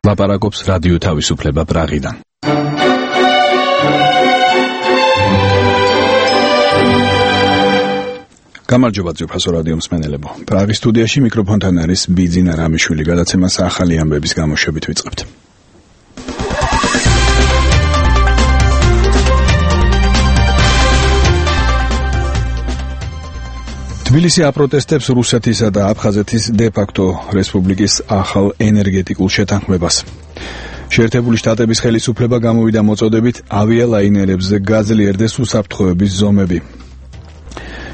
ლაპარაკობს რადიო თავისუფლება პრაღიდან. გამარჯობა ძვირფასო რადიო მსმენელებო. პრაღის სტუდიაში მიკროფონთან არის ბიძინა რამიშვილი. გადაცემას ახალი ამბების გამოშვებით ვიწყებთ. თბილისი აპროტესტებს რუსეთისა და აფხაზეთის დე-ფაქტო რესპუბლიკის ახალ ენერგეტიკულ შეთანხმებას. შეერთებული შტატების ხელისუფლება გამოვიდა მოწოდებით ავიალაინერებზე გაძლიერდეს უსაფრთხოების ზომები.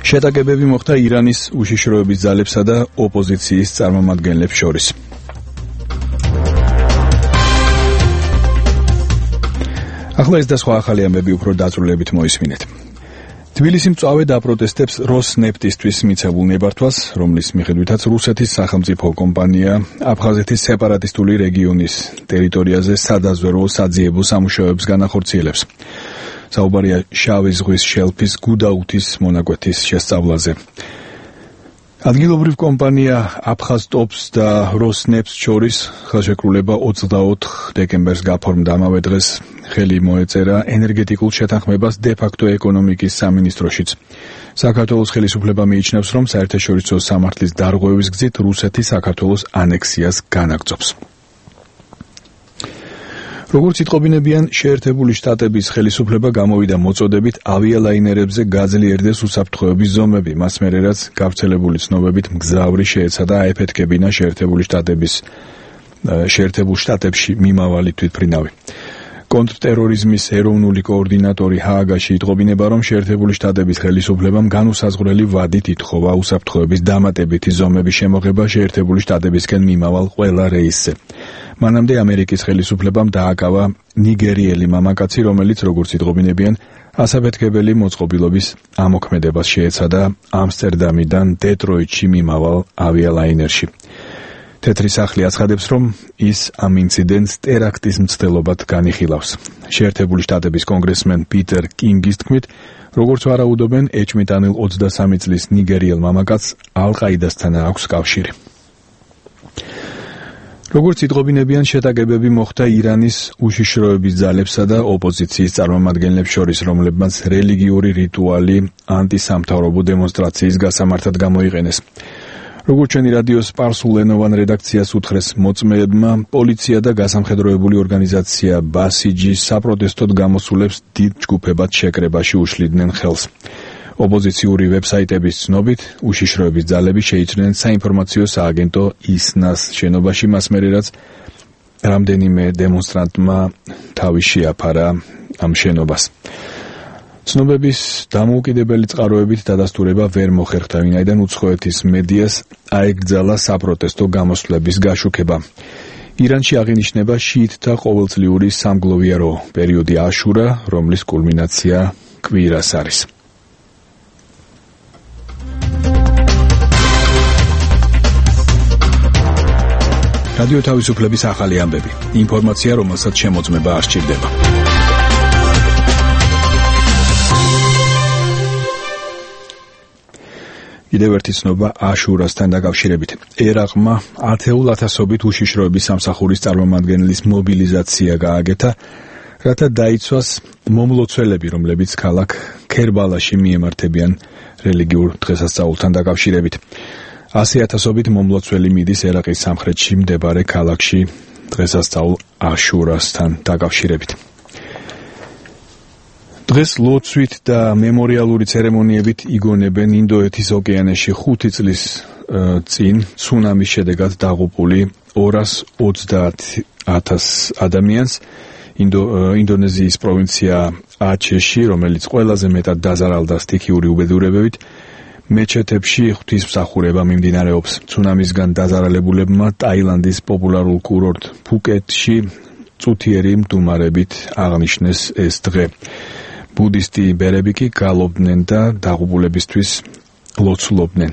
შეტაკებები მოხდა ირანის უშიშროების ძალებსა და ოპოზიციის წარმომადგენლებს შორის. ახლა ეს და სხვა ახალი ამბები უფრო დაწვრილებით მოისმინეთ. თბილისი მწვავედ აპროტესტებს როსნეფტისთვის მიცემულ ნებართვას, რომლის მიხედვითაც რუსეთის სახელმწიფო კომპანია აფხაზეთის სეპარატისტული რეგიონის ტერიტორიაზე სადაზვერვო საძიებო სამუშაოებს განახორციელებს. საუბარია შავი ზღვის შელფის გუდაუთის მონაკვეთის შესწავლაზე. ადგილობრივ კომპანია აფხაზტოპს და როსნეფტს შორის ხელშეკრულება 24 დეკემბერს გაფორმდა. ამავე დღეს ხელი მოეწერა ენერგეტიკულ შეთანხმებას დე-ფაქტო ეკონომიკის სამინისტროშიც. საქართველოს ხელისუფლება მიიჩნევს, რომ საერთაშორისო სამართლის დარღვევის გზით რუსეთი საქართველოს ანექსიას განაგრძობს. როგორც იტყობინებიან, შეერთებული შტატების ხელისუფლება გამოვიდა მოწოდებით ავიალაინერებზე გაძლიერდეს უსაფრთხოების ზომები. მას მერე რაც გავრცელებული ცნობებით მგზავრი შეეცადა აეფეთქებინა შეერთებულ შტატებში მიმავალი თვითმფრინავი. კონტრტერორიზმის ეროვნული კოორდინატორი ჰააგაში იტყობინება, რომ შეერთებული შტატების ხელისუფლებამ განუსაზღვრელი ვადით ითხოვა უსაფრთხოების დამატებითი ზომების შემოღება შეერთებული შტატებისკენ მიმავალ ყველა რეისზე. მანამდე ამერიკის ხელისუფლებამ დააკავა ნიგერიელი მამაკაცი, რომელიც, როგორც იტყობინებიან, ასაფეთქებელი მოწყობილობის ამოქმედებას შეეცადა ამსტერდამიდან დეტროიტში მიმავალ ავიალაინერში. თეთრი სახლი აცხადებს, რომ ის ამ ინციდენტს ტერაქტის მცდელობად განიხილავს. შეერთებული შტატების კონგრესმენ პიტერ კინგის თქმით, როგორც ვარაუდობენ, ეჭვმიტანილ 23 წლის ნიგერიელ მამაკაცს ალ-ყაიდასთან აქვს კავშირი. როგორც იტყობინებიან, შეტაკებები მოხდა ირანის უშიშროების ძალებსა და ოპოზიციის წარმომადგენლებს შორის, რომლებმაც რელიგიური რიტუალი ანტისამთავრობო დემონსტრაციის გასამართად გამოიყენეს. როგორც ჩვენი რადიოს სპარსულენოვან რედაქციას უთხრეს მოწმეებმა, პოლიცია და გასამხედროებული ორგანიზაცია ბასიჯი საპროტესტოდ გამოსულებს დიდ ჯგუფებად შეკრებაში უშლიდნენ ხელს. ოპოზიციური ვებსაიტების ცნობით, უშიშროების ძალები შეიჭრნენ საინფორმაციო სააგენტო ისნას შენობაში, მას მერე რაც რამდენიმე დემონსტრანტმა თავი შეაფარა ამ შენობას. ცნობების დამოუკიდებელი წყაროებით დადასტურება ვერ მოხერხდა, ვინაიდან უცხოეთის მედიას აეკრძალა საპროტესტო გამოსვლების გაშუქება. ირანში აღინიშნება შიიტთა ყოველწლიური სამგლოვიარო პერიოდი აშურა, რომლის კულმინაცია კვირას არის. რადიო თავისუფლების ახალი ამბები. ინფორმაცია, რომელსაც შემოწმება არ სჭირდება. კიდევ ერთი ცნობა აშურასთან დაკავშირებით. ერაყმა ათეულათასობით უშიშროების სამსახურის წარმომადგენლის მობილიზაცია გააკეთა, რათა დაიცვას მომლოცველები, რომლებიც ქალაქ ქერბალაში მიემართებიან რელიგიურ დღესასწაულთან დაკავშირებით. 100,000-ობით მომლოცველი მიდის ერაყის სამხრეთში მდებარე ქალაქში დღესასწაულ აშურასთან დაკავშირებით. დღეს ლოცვით და მემორიალური ცერემონიებით იგონებენ ინდოეთის ოკეანეში 5 წლის წინ ცუნამის შედეგად დაღუპული 230,000 ადამიანს. ინდონეზიის პროვინცია აჩეში, რომელიც ყველაზე მეტად დაზარალდა სტიქიური უბედურებებით, მეჩეთებში ღვთისმსახურება მიმდინარეობს. ცუნამისგან დაზარალებულებმა ტაილანდის პოპულარულ კურორტ ფუკეტში წუთიერი მდუმარებით აღნიშნეს ეს დღე. ბუდისტი ბერები კი გალობდნენ და დაღუპულებისთვის ლოცულობდნენ.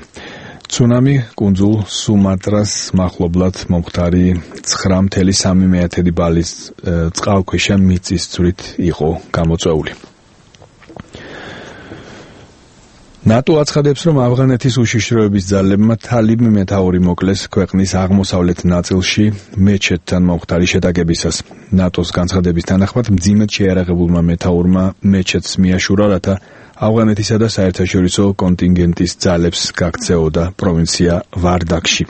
ცუნამი კუნძულ სუმატრას მახლობლად მომხდარი 9.3 ბალის წყალქვეშა მიწისძვრით იყო გამოწვეული. ნატო აცხადებს, რომ ავღანეთის უშიშროების ძალებმა თალიბ მეთაური მოკლეს ქვეყნის აღმოსავლეთ ნაწილში მეჩეთთან მომხდარი შეტაკებისას. ნატოს განცხადების თანახმად მძიმედ შეიარაღებულმა მეთაურმა მეჩეთს მიაშურა, რათა ავღანეთისა და საერთაშორისო კონტინგენტის ძალებს გაქცეოდა პროვინცია ვარდაკში.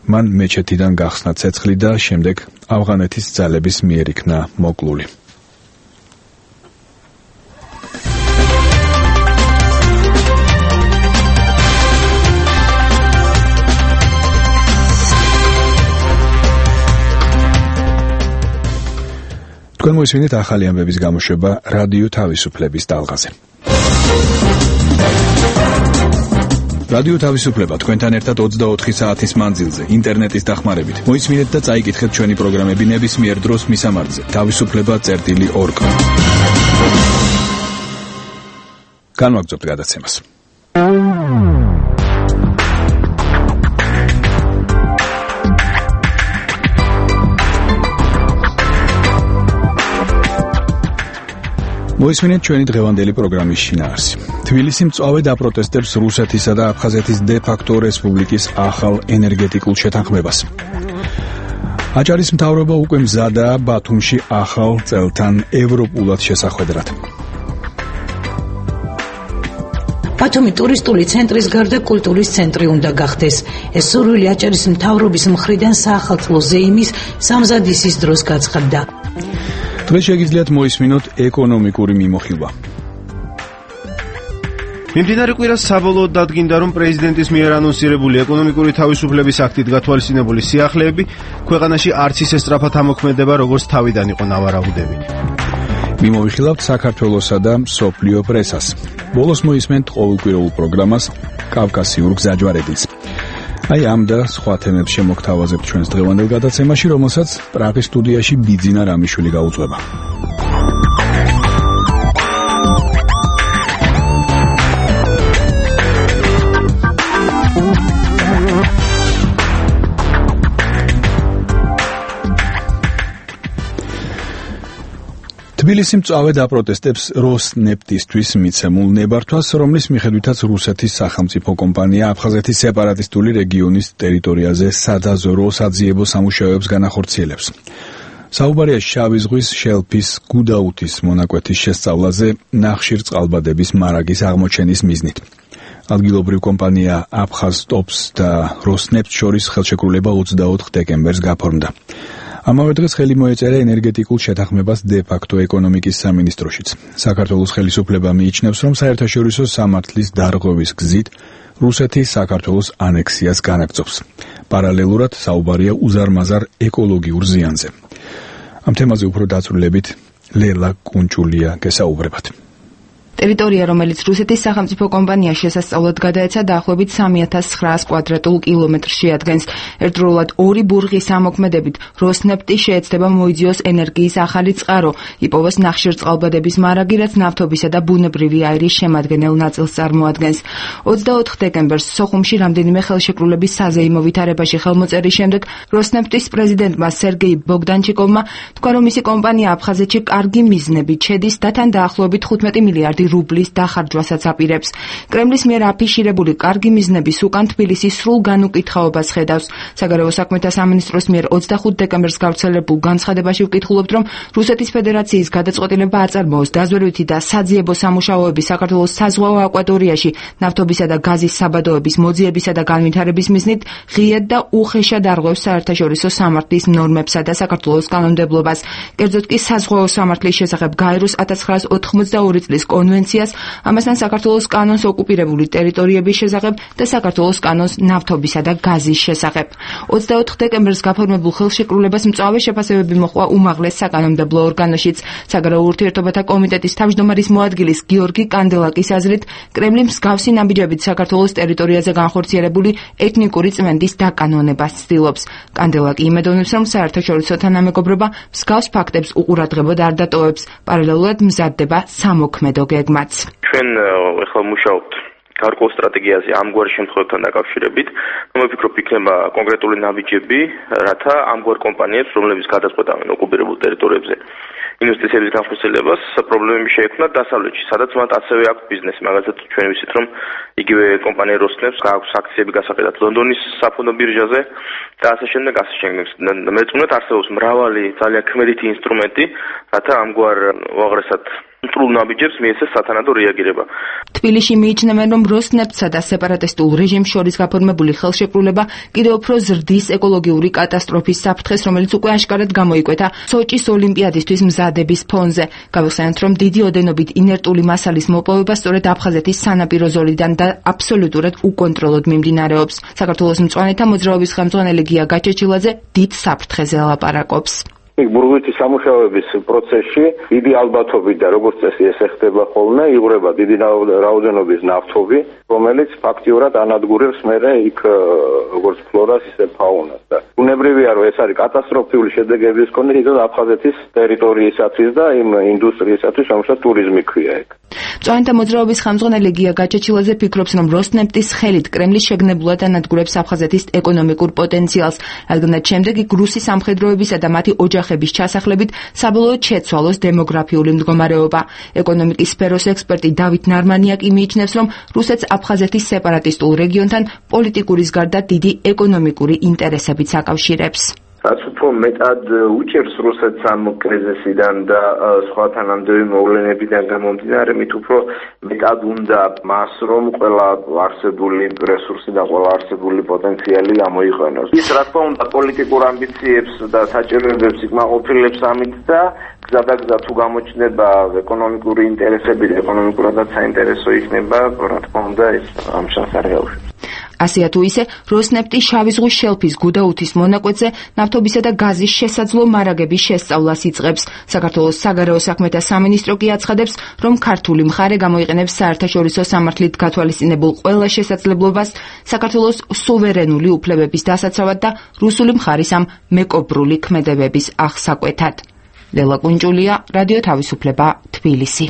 მან მეჩეთიდან გახსნა ცეცხლი და შემდეგ ავღანეთის ძალების მიერ იქნა მოკლული. თქვენ მოისმინეთ ახალი ამბების გამოშვება რადიო თავისუფლების ტალღაზე. რადიო თავისუფლება თქვენთან ერთად 24 საათის მანძილზე ინტერნეტის დახმარებით. მოისმინეთ და წაიკითხეთ ჩვენი პროგრამები ნებისმიერ დროს მისამართზე თავისუფლება.org. განვაგრძობთ გადაცემას. მოისმინეთ ჩვენი დღევანდელი პროგრამის შინაარსი. თბილისი მწვავე დაპროტესტებს რუსეთისა და აფხაზეთის დე-ფაქტო რესპუბლიკის ახალ ენერგეტიკულ შეთანხმებას. აჭარის მთავრობა უკვე მზადაა ბათუმში ახალ წელთან ევროპულად შესახვედრად. ბათუმი ტურისტული ცენტრის გარდა კულტურის ცენტრი უნდა გახდეს. ეს სურვილი აჭარის მთავრობის მხრიდან საახალწლო ზეიმის სამზადისის დროს გაცხადდა. დღეს შეგიძლიათ მოისმინოთ ეკონომიკური მიმოხილვა. მიმდინარე კვირას საბოლოოდ დადგინდა, რომ პრეზიდენტის მიერ ანონსირებული ეკონომიკური თავისუფლების აქტით გათვალისწინებული სიახლეები ქვეყანაში არც ისე სწრაფად ამოქმედება, როგორც თავიდან იყო ნავარაუდები. მიმოვიხილავთ საქართველოსა და მსოფლიო პრესას. ბოლოს მოისმენთ ყოველკვირეულ პროგრამას კავკასიურ გზაჯვარედილს. აი ამ და სხვა თემებს შემოგთავაზებთ ჩვენს დღევანდელ გადაცემაში, რომელსაც პრაღის სტუდიაში ბიძინა რამიშვილი გაუძღვება. თბილისი მწვავე დაპროტესტებს როსნეფტისთვის მიცემულ ნებართვას, რომლის მიხედვითაც რუსეთის სახელმწიფო კომპანია აფხაზეთის სეპარატისტული რეგიონის ტერიტორიაზე სადაზვერვო საძიებო სამუშაოებს განახორციელებს. საუბარია შავი ზღვის შელფის გუდაუთის მონაკვეთის შესწავლაზე ნახშირწყალბადების მარაგის აღმოჩენის მიზნით. ადგილობრივ კომპანია აფხაზტოპს და როსნეფტ შორის ხელშეკრულება 24 დეკემბერს გაფორმდა. ამავე დღეს ხელი მოეწერა ენერგეტიკულ შეთანხმებას დე-ფაქტო ეკონომიკის სამინისტროშიც. საქართველოს ხელისუფლება მიიჩნევს, რომ საერთაშორისო სამართლის დარღვევის გზით რუსეთი საქართველოს ანექსიას განაგრძობს. პარალელურად საუბარია უზარმაზარ ეკოლოგიურ ზიანზე. ამ თემაზე უფრო დაწვრილებით ლელა კუნჭულია გესაუბრებათ. ტერიტორია, რომელიც რუსეთის სახელმწიფო კომპანიას შესასწავლად გადაეცა, დაახლოებით 3900 კვადრატულ კილომეტრს შეადგენს. ერთდროულად ორი ბურღის ამოქმედებით როსნეფტი შეეცდება მოიძიოს ენერგიის ახალი წყარო, იპოვოს ნახშირწყალბადების მარაგი, რაც ნავთობისა და ბუნებრივი აირის შემადგენელ ნაწილს წარმოადგენს. 24 დეკემბერს სოხუმში რამდენიმე ხელშეკრულების საზეიმო ვითარებაში ხელმოწერის შემდეგ როსნეფტის პრეზიდენტმა სერგეი ბოგდანჩიკოვმა თქვა, რომ მისი კომპანია აფხაზეთში კარგი მიზნებით შედის და თან დაახლოებით 15 მილიარდი რუბლის დახარჯვასაც აპირებს. კრემლის მიერ აფიშირებული კარგი მიზნების უკან თბილისი სრულ განუკითხაობას ხედავს. საგარეო საქმეთა სამინისტროს მიერ 25 დეკემბერს გავრცელებულ განცხადებაში ვკითხულობთ, რომ რუსეთის ფედერაციის გადაწყვეტილება აწარმოოს დაზვერვითი და საძიებო სამუშაოები საქართველოს საზღვაო აკვატორიაში ნავთობისა და გაზის საბადოების მოძიებისა და განვითარების მიზნით ღიად და უხეშად არღვევს საერთაშორისო სამართლის ნორმებსა და საქართველოს კანონმდებლობას. კერძოდ კი საზღვაო სამართლის შესახებ გაეროს 1982 წლის კონვენციას, ამასთან საქართველოს კანონს ოკუპირებული ტერიტორიების შესახებ და საქართველოს კანონს ნავთობისა და გაზის შესახებ. 24 დეკემბერს გაფორმებულ ხელშეკრულებას მწვავე შეფასებები მოჰყვა უმაღლეს საკანონმდებლო ორგანოშიც. საგარეო ურთიერთობათა კომიტეტის თავმჯდომარის მოადგილის გიორგი კანდელაკის აზრით, კრემლი მსგავსი ნაბიჯებით საქართველოს ტერიტორიაზე განხორციელებული ეთნიკური წმენდის დაკანონებას ცდილობს. კანდელაკი იმედოვნებს, რომ საერთაშორისო თანამეგობრობა მსგავს ფაქტებს უყურადღებოდ არ დატოვებს, პარალელურად მზადდება სამოქმედო გეგმაც. ჩვენ ახლა მუშაობთ გარკვეულ სტრატეგიაზე ამგვარ შემთხვევებთან დაკავშირებით, ვფიქრობ, იქნება კონკრეტული ნაბიჯები, რათა ამგვარ კომპანიებს, რომლებიც გადაწყვეტავენ ოკუპირებულ ტერიტორიებზე ინვესტიციების განხორციელებას პრობლემები შეექმნა დასავლეთში, სადაც მათ ასევე აქვს ბიზნესი, მაგალითად ჩვენ ვიცით, რომ იგივე კომპანია Rosneft აქვს აქციები გასაყიდად ლონდონის საფონდო ბირჟაზე და ასე შემდეგ. მეწმუნეთ არსებობს მრავალი ძალიან ქმედითი ინსტრუმენტი, რათა ამგვარ უაღრესად მტრულ ნაბიჯებს მიეცეს სათანადო რეაგირება. თბილისში მიიჩნევენ, რომ Rosneft-სა და სეპარატისტულ რეჟიმს შორის გაფორმებული ხელშეკრულება კიდევ უფრო ზრდის ეკოლოგიური კატასტროფის საფრთხეს, რომელიც უკვე აშკარად გამოიკვეთა სოჭის ოლიმპიადისთვის მზადების ფონზე. გავიხსენოთ, რომ დიდი ოდენობით ინერტული მასალის მოპოვება სწორედ აფხაზეთის სანაპირო ზოლიდან და აბსოლუტურად უკონტროლოდ მიმდინარეობს. საქართველოს მწვანეთა მოძრაობის ხელმძღვანელი გია გაჩეჩილაძე დიდ საფრთხეზე ლაპარაკობს. ბურღვითი სამუშაოების პროცესში დიდი ალბათობით და როგორც წესი ეს ხდება ხოლმე, იღვრება დიდი რაოდენობის ნავთობი, რომელიც ფაქტიურად ანადგურებს მერე იქ როგორც ფლორას, ისე ფაუნას და უნებრივია, რომ ეს არის კატასტროფული შედეგების მქონე თვითონ აფხაზეთის ტერიტორიისათვის და იმ ინდუსტრიისათვის, რომელსაც ტურიზმი ქვია ეგ. მწვანეთა მოძრაობის ხელმძღვანელი გია გაჩეჩილაძე ფიქრობს, რომ Rosneft-ის ხელით კრემლი შეგნებულად ანადგურებს აფხაზეთის ეკონომიკურ პოტენციალს, რადგანაც შემდეგ იქ რუსი სამხედროებისა და მათი ოჯახების ჩასახლებით საბოლოოდ შეცვალოს დემოგრაფიული მდგომარეობა. ეკონომიკის სფეროს ექსპერტი დავით ნარმანიაკი მიიჩნევს, რომ რუსეთს აფხაზეთის სეპარატისტულ რეგიონთან პოლიტიკურის გარდა დიდი ეკონომიკური ინტერესებიც აკავშირებს. რაც უფრო მეტად უჭერს რუსეთს ამ კრიზისიდან და სხვა თანამდებობი მოვლენებიდან გამომდინარე, მით უფრო მეტად უნდა მას, რომ ყველა არსებული რესურსი და ყველა არსებული პოტენციალი გამოიყენოს. ის რა თქმა უნდა პოლიტიკურ ამბიციებს და საჭიროებებს იკმაყოფილებს ამით და გზადაგზა თუ გამოჩნდება ეკონომიკური ინტერესები და ეკონომიკურადაც საინტერესო იქნება, რა თქმა უნდა ეს ამ შანსს არ გაუშვებს. ასეა თუ ისე, Rosneft-ი შავი ზღვის შელფის გუდაუთის მონაკვეთზე ნავთობისა და გაზის შესაძლო მარაგების შესწავლას იწყებს. საქართველოს საგარეო საქმეთა სამინისტრო კი აცხადებს, რომ ქართული მხარე გამოიყენებს საერთაშორისო სამართლით გათვალისწინებულ ყველა შესაძლებლობას საქართველოს სუვერენული უფლებების დასაცავად და რუსული მხარის ამ მეკობრული ქმედებების აღსაკვეთად. ლელა კუნჭულია, რადიო თავისუფლება, თბილისი.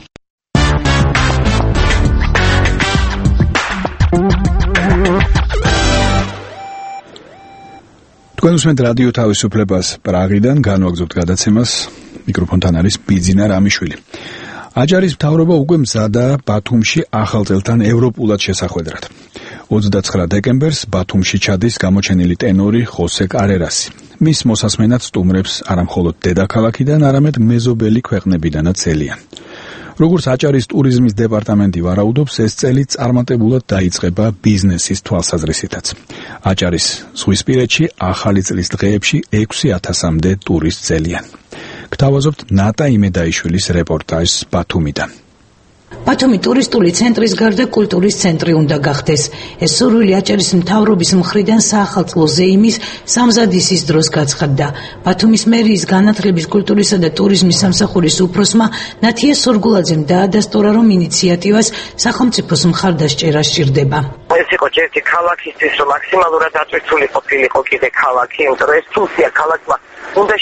თქვენ უსმენთ რადიო თავისუფლებას პრაღიდან, განვაგრძობთ გადაცემას, მიკროფონთან არის ბიძინა რამიშვილი. აჯარის მთავრობა უკვე მზადა ბათუმში ახალ წელთან ევროპულად შესახვედრად. 29 დეკემბერს ბათუმში ჩადის გამოჩენილი ტენორი ხოსე კარერასი. მის მოსასმენად სტუმრებს არამხოლოდ დედაქალაქიდან, არამედ მეზობელი ქვეყნებიდანაც ელიან. როგორც აჭარის ტურიზმის დეპარტამენტი ვარაუდობს, ეს წელი წარმატებულად დაიწყება ბიზნესის თვალსაზრისითაც. აჭარის ზღვისპირეთში ახალი წლის დღეებში 6000-მდე ტურისტს ელიან. გთავაზობთ ნატა იმედაიშვილის რეპორტაჟს ბათუმიდან. ბათუმი ტურისტული ცენტრის გარდა კულტურის ცენტრი უნდა გახდეს. ეს სურვილი აჭარის მთავრობის მხრიდან საახალწლო ზეიმის სამზადისის დროს გაცხადდა. ბათუმის მერიის განათლების, კულტურისა და ტურიზმის სამსახურის უფროსმა ნათია სურგულაძემ დაადასტურა, რომ ინიციატივას სახელმწიფოს მხარდასჭერა სჭირდება. ეს იყო ერთი ქალაქისთვის, რომ მაქსიმალურად დაწვირთული ყოფილიყო კიდე ქალაქი, იმიტომ რომ ეს ფუნქცია ქალაქმა უნდა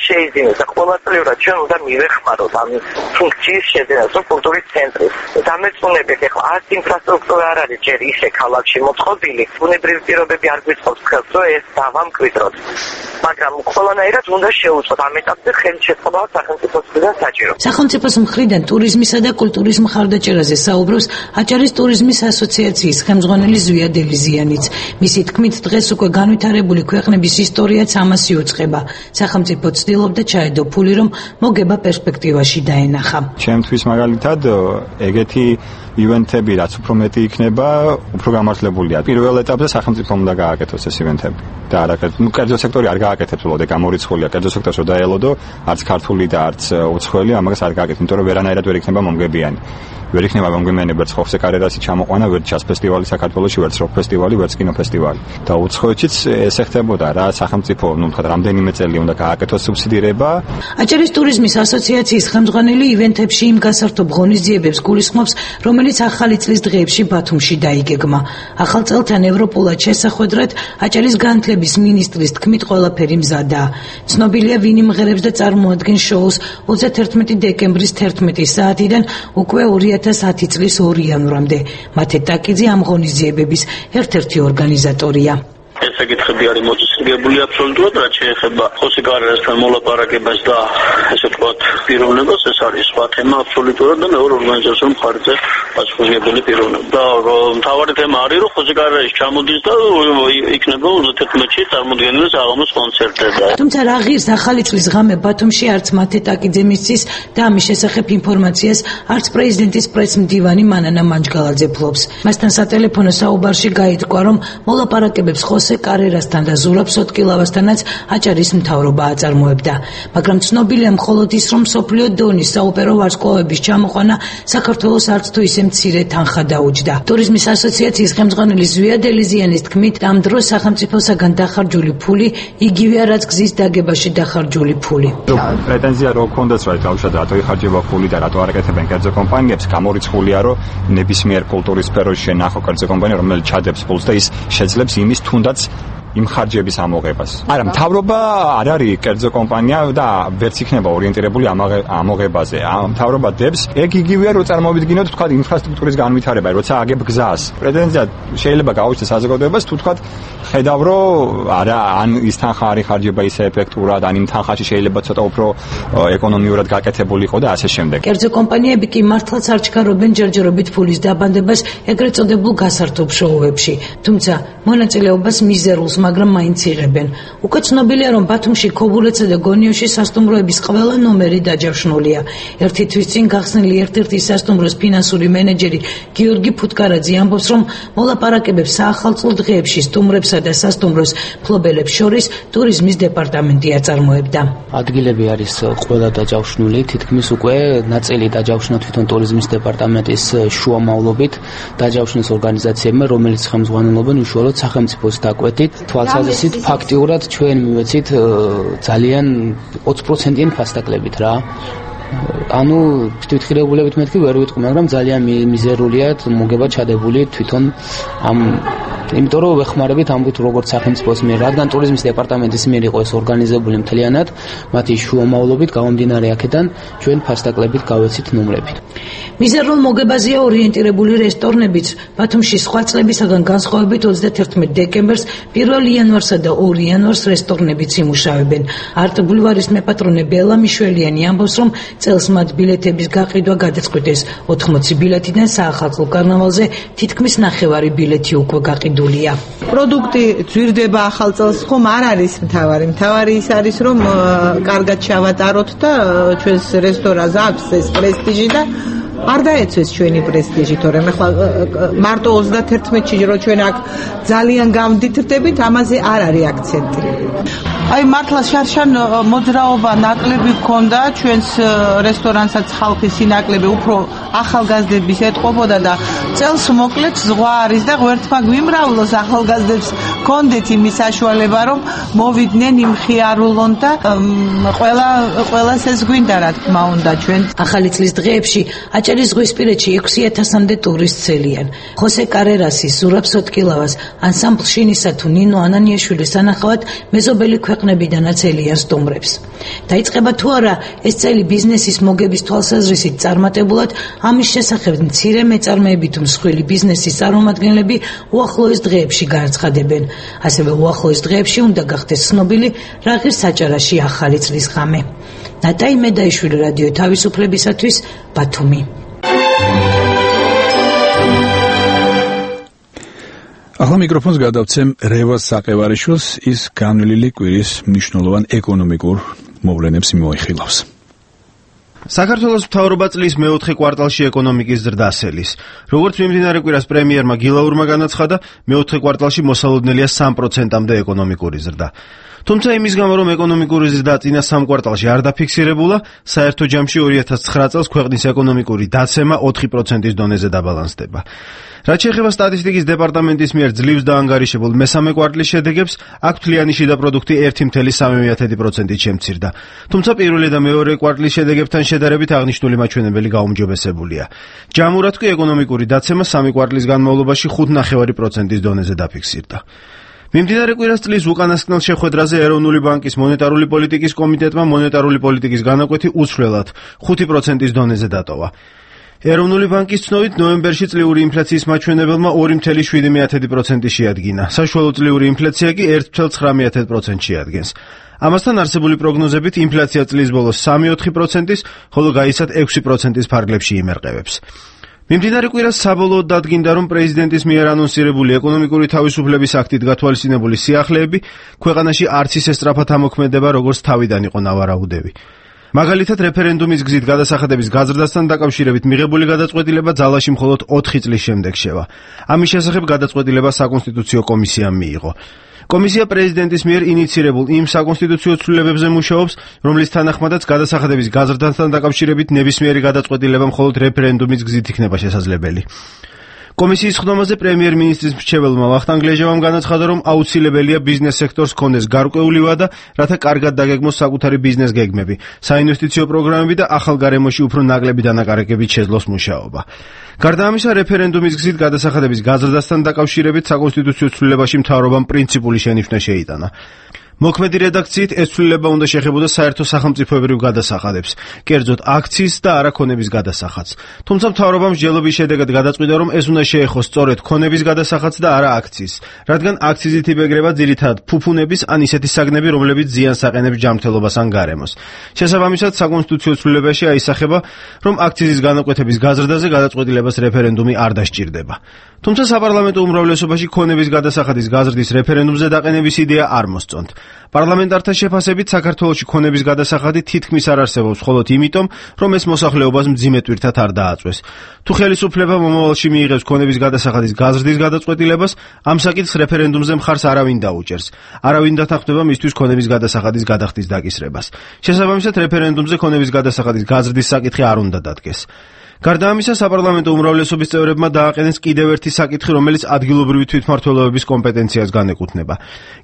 შეიძინოს და ყოველწლიურად ჩვენ უნდა მივეხმაროთ ამ ფუნქციის შეძენას, რომ კულტურის ცენტრი დამეწუნებით ეხლა არც ინფრასტრუქტურა არ არის ჯერ ისე ქალაქში მოწყობილი, ბუნებრივი პირობები არ გვიწყობს ხელს, რომ ეს დავამკვიდროთ. მაგრამ ყველანაირად უნდა შევუწყოთ ამ ეტაპზე ხელშეწყობა სახელმწიფოს მხრიდან საჭირო. სახელმწიფოს მხრიდან ტურიზმისა და კულტურის მხარდაჭერაზე საუბრობს აჭარის ტურიზმის ასოციაციის ხელმძღვანელი ზვია დელიზიანიც. მისი თქმით, დღეს უკვე განვითარებული ქვეყნების ისტორიაც ამას იუწყება. სახელმწიფო ცდილობდა ჩაედო ფული, რომ მოგება პერსპექტივაში დაენახა. ჩემთვის მაგალითად ეგეთი ივენთები რაც უფრო მეტი იქნება, უფრო გამართლებულია. პირველ ეტაპზე სახელმწიფო უნდა გააკეთოს ეს ივენთები. და კერძო სექტორი არ გააკეთებს, უბრალოდ გამორიცხულია. კერძო სექტორს რომ დაელოდო, არც ქართული და არც უცხოელი ამას არ გააკეთებს, იმიტომ რომ ვერანაირად ვერ იქნება მომგებიანი. ვერ იქნება მომგებიანი ვერც ხოსე კარერასი ჩამოყვანა, ვერც ჩას ფესტივალი საქართველოში, ვერც როკ ფესტივალი, ვერც კინო ფესტივალი. და უცხოეთშიც ეს ხდებოდა რა, სახელმწიფო, თქვათ, რამდენიმე წელი უნდა გააკეთოს სუბსიდირება. აჭარის ტურიზმის ასოციაციის ხელმძღვანელი ივენთებში იმ გასართობ ღონისძიებებს გულისხმობს, რომელიც ახალი წლის დღეებში ბათუმში დაიგეგმა. ახალ წელთან ევროპულად შესახვედრად აჭარის განათლების მინისტრის თქმით ყველაფერი მზადაა. ცნობილია ვინ იმღერებს და წარმოადგენს შოუს 31 დეკემბრის 11 საათიდან უკვე 2010 წლის 2 იანვრამდე. მათე ტაკიძე ამ ღონისძიებების ერთ-ერთი ორგანიზატორია. ეს საკითხები არის მოწესრიგებული აბსოლუტურად, რაც შეეხება ხოსე კარერასთან მოლაპარაკებას და ესე ვთქვათ პიროვნებას, ეს არის სხვა თემა აბსოლუტურად და მეორე ორგანიზაციულ მხარეზე პასუხისმგებელი პიროვნება. და მთავარი თემა არის, რომ ხოსე კარერაში ჩამოდის და იქნება 31-ში წარმოდგენილი საღამოს კონცერტები. თუმცა რა ღირს ახალი წლის ღამე ბათუმში არც მათე ტაკიძე მისცის და ამის შესახებ ინფორმაციას არც პრეზიდენტის პრესმდივანი მანანა მანჯგალაძე ფლობს. მასთან სატელეფონო საუბარში გაითქვა, რომ მოლაპარაკებებს ხოსე კარერასთან და ზურაბ სოტკილავასთანაც აჭარის მთავრობა აწარმოებდა. მაგრამ ცნობილია მხოლოდ ის, რომ მსოფლიო დონის საოპერო ვარსკვლავების ჩამოყვანა საქართველოს არც თუ ისე მცირე თანხა დაუჯდა. ტურიზმის ასოციაციის ხელმძღვანელი ზვია დელიზიანის თქმით, ამ დროს სახელმწიფოსაგან დახარჯული ფული იგივეა, რაც გზის დაგებაში დახარჯული ფული. პრეტენზია რო ქონდას რა თავშად რატო იხარჯება ფული და რატო არ აკეთებენ კერძო კომპანიებს, გამორიცხულია, რომ ნებისმიერ კულტურის სფეროში შენახო კერძო კომპანია, რომელიც ჩადებს ფულს და ის შეძლებს იმის თუნდაც იმ ხარჯების ამოღებას. არა, მთავრობა არ არის კერძო კომპანია და ვერც იქნება ორიენტირებული ამოღებაზე. მთავრობა დებს, ეგ იგივეა, რომ წარმოვიდგინოთ, თქვა ინფრასტრუქტურის განვითარება, როცა აგებ გზას. პრეტენზია შეიძლება გაუჩნდეს საზოგადოებას, თუ თქვა ხედავ, რომ არა, ან ის თანხა არ იხარჯება ისე ეფექტურად, ან იმ თანხაში შეიძლება ცოტა უფრო ეკონომიურად გაკეთებული იყო და ასე შემდეგ. კერძო კომპანიები კი მართლაც არ ჩქარობენ ჯერჯერობით ფულის დაბანდებას ეგრეთ წოდებულ გასართობ შოუებში. თუმცა მონაწილეობას მიზერულს მაგრამ მაინც იღებენ. უკვე ცნობილია, რომ ბათუმში, ქობულეთსა და გონიოში სასტუმროების ყველა ნომერი დაჯავშნულია. ერთი თვის წინ გახსნილი ერთ-ერთი სასტუმროს ფინანსური მენეჯერი გიორგი ფუტკარაძე ამბობს, რომ მოლაპარაკებებს საახალწლო დღეებში სტუმრებსა და სასტუმროს მფლობელებს შორის ტურიზმის დეპარტამენტი აწარმოებდა. ადგილები არის ყველა დაჯავშნული, თითქმის უკვე ნაწილი დაჯავშნა თვითონ ტურიზმის დეპარტამენტის შუამავლობით დაჯავშნის ორგანიზაციებმა, რომელიც ხელმძღვანელობენ უშუალოდ სახელმწიფოს დაკვეთით. თვალსაზრისით ფაქტიურად ჩვენ მივეცით ძალიან 20%-იან ფასდაკლებით რა. ანუ თვითღირებულებით მეთქი ვერ ვიტყვი, მაგრამ ძალიან მიზერულია მოგება ჩადებული თვითონ ამ იმიტომ რომ ვეხმარებით ამბობთ როგორც სახელმწიფოს მიერ, რადგან ტურიზმის დეპარტამენტის მიერ იყო ეს ორგანიზებული მთლიანად, მათი შუამავლობით გამომდინარე აქედან ჩვენ ფასდაკლებით გავეცით ნომრები. მიზერულ მოგებაზეა ორიენტირებული რესტორნებიც. ბათუმში სხვა წლებისაგან განსხვავებით 31 დეკემბერს, 1 იანვარსა და 2 იანვარს რესტორნებიც იმუშავებენ. არტ ბულვარის მეპატრონე ბელა მიშველიანი ამბობს, რომ წელს მათ ბილეთების გაყიდვა გადაწყვიტეს. 80 ბილეთიდან საახალწლო კარნავალზე თითქმის 9 ბილეთი უკვე გაყიდულია. პროდუქტი ძვირდება ახალ წელს, ხომ არ არის მთავარი. მთავარი ის არის, რომ კარგად ჩავატაროთ და ჩვენს რესტორანს აქვს ეს პრესტიჟი და არ დაეცეს ჩვენი პრესტიჟი, თორემ ახლა მარტო 31-ში რო ჩვენ აქ ძალიან გამდიდრდებით, ამაზე არ არის აქცენტი. აი მართლა შარშან მოძრაობა ნაკლები გქონდა ჩვენს რესტორანსაც ხალხის სინაკლები უფრო ახალგაზრდების ეტყობოდა და წელს მოკლედ ზღვა არის და ღმერთმა გვიმრავლოს ახალგაზრდებს გქონდეთ იმის საშუალება რომ მოვიდნენ იმხიარულონ და ყველას ეს გვინდა რა თქმა უნდა ჩვენ. ახალი წლის დღეებში აჭარის ზღვისპირეთში 6000-მდე ტურისტს ცელიან. ხოსე კარერასის, ზურაბ სოტკილავას, ანსამბლ შინისა თუ ნინო ანანიაშვილის სანახავად მეზობელი ქვეყნებიდანაც ელიან სტუმრებს. დაიწყება თუ არა ეს წელი ბიზნესის მოგების თვალსაზრისით წარმატებულად, ამის შესახებ მცირე მეწარმეები თუ მსხვილი ბიზნესის წარმომადგენლები უახლოეს დღეებში განაცხადებენ. ასევე უახლოეს დღეებში უნდა გახდეს ცნობილი რა ღირს აჭარაში ახალი წლის ღამე. ნატაი მედაიშვილი, რადიო თავისუფლებისათვის, ბათუმი. ახლა მიკროფონს გადავცემ რევაზ საყევარიშვილს, ის განვლილი კვირის მნიშვნელოვან ეკონომიკურ მოვლენებს მოიხილავს. საქართველოს მთავრობა წლის მეოთხე კვარტალში ეკონომიკის ზრდას ელის. როგორც მიმდინარე კვირას პრემიერმა გილაურმა განაცხადა, მეოთხე კვარტალში მოსალოდნელია 3%-მდე ეკონომიკური ზრდა. თუმცა იმის გამო, რომ ეკონომიკური ზრდა წინა 3 კვარტალში არ დაფიქსირებულა, საერთო ჯამში 2009 წელს ქვეყნის ეკონომიკური დაცემა 4%-ის დონეზე დაბალანსდება. რაც შეეხება სტატისტიკის დეპარტამენტის მიერ ძლივს დაანგარიშებულ მესამე კვარტლის შედეგებს, აქ მთლიანი შიდა პროდუქტი 1,3%-ით შემცირდა. თუმცა პირველი და მეორე კვარტლის შედეგებთან შედარებით აღნიშნული მაჩვენებელი გაუმჯობესებულია. ჯამურად კი ეკონომიკური დაცემა 3 კვარტლის განმავლობაში 5,9%-ის დონეზე დაფიქსირდა. მიმდინარე კვირას წლის უკანასკნელ შეხვედრაზე ეროვნული ბანკის მონეტარული პოლიტიკის კომიტეტმა მონეტარული პოლიტიკის განაკვეთი უცვლელად 5%-ის დონეზე დატოვა. ეროვნული ბანკის ცნობით ნოემბერში წლიური ინფლაციის მაჩვენებელმა 2.7% შეადგინა. საშუალო წლიური ინფლაცია კი 1.9% შეადგენს. ამასთან არსებული პროგნოზებით ინფლაცია წლის ბოლოს 3.4%-ის, ხოლო გაიცად 6%-ის ფარგლებში იმერყევებს. მიმდინარე კვირას საბოლოოდ დადგინდა, რომ პრეზიდენტის მიერ ანონსირებული ეკონომიკური თავისუფლების აქტით გათვალისწინებული სიახლეები ქვეყანაში არც ისე სწრაფად ამოქმედება, როგორც თავიდან იყო ნავარაუდები. მაგალითად, რეფერენდუმის გზით გადასახადების გაზრდასთან დაკავშირებით მიღებული გადაწყვეტილება ძალაში მხოლოდ 4 წლის შემდეგ შევა. ამის შესახებ გადაწყვეტილება საკონსტიტუციო კომისიამ მიიღო. კომისია პრეზიდენტის მიერ ინიცირებულ იმ საკონსტიტუციო ცვლილებებზე მუშაობს, რომლის თანახმადაც გადასახადების გაზრდასთან დაკავშირებით ნებისმიერი გადაწყვეტილება მხოლოდ რეფერენდუმის გზით იქნება შესაძლებელი. კომისიის ხდომაზე პრემიერ-მინისტრის მრჩეველმა ვახტანგ ლეჟავამ განაცხადა, რომ აუცილებელია ბიზნეს სექტორს ჰქონდეს გარკვეული ვადა, რათა კარგად დაგეგმოს საკუთარი ბიზნეს გეგმები, საინვესტიციო პროგრამები და ახალ გარემოში უფრო ნაკლები დანაკარგებით შეძლოს მუშაობა. გარდა ამისა, რეფერენდუმის გზით გადასახადების გაზრდასთან დაკავშირებით საკონსტიტუციო ცვლილებაში მთავრობამ პრინციპული შენიშვნა შეიტანა. მოქმედი რედაქციით ეს ცვლილება უნდა შეხებოდა საერთო სახელმწიფოებრივ გადასახადებს, კერძოდ აქციის და არაქონების გადასახადს. თუმცა მთავრობამ მსჯელობის შედეგად გადაწყვიტა, რომ ეს უნდა შეეხოს სწორედ ქონების გადასახადს და არა აქციის, რადგან აქციზით იბეგრება ძირითადად ფუფუნების ან ისეთი საგნები, რომლებიც ზიანს აყენებს ჯანმრთელობას ან გარემოს. შესაბამისად, საკონსტიტუციო ცვლილებაში აისახება, რომ აქციზის განაკვეთების გაზრდაზე გადაწყვეტილებას რეფერენდუმი არ დასჭირდება. თუმცა საპარლამენტო უმრავლესობაში ქონების გადასახადის გაზრდის რეფერენდუმზე დაყენების იდეა არ მოსწონთ. პარლამენტართა შეფასებით საქართველოში ქონების გადასახადი თითქმის არ არსებობს, მხოლოდ იმიტომ, რომ ეს მოსახლეობას მძიმე ტვირთად არ დააწვეს. თუ ხელისუფლება მომავალში მიიღებს ქონების გადასახადის გაზრდის გადაწყვეტილებას, ამ საკითხს რეფერენდუმზე მხარს არავინ დაუჭერს. არავინ დათანხმდება მისთვის ქონების გადასახადის გადახდის დაკისრებას. შესაბამისად, რეფერენდუმზე ქონების გადასახადის გაზრდის საკითხი არ უნდა დადგეს. გარდა ამისა, საპარლამენტო უმრავლესობის წევრებმა დააყენეს კიდევ ერთი საკითხი, რომელიც ადგილობრივი თვითმმართველობის კომპეტენციას განეკუთვნება.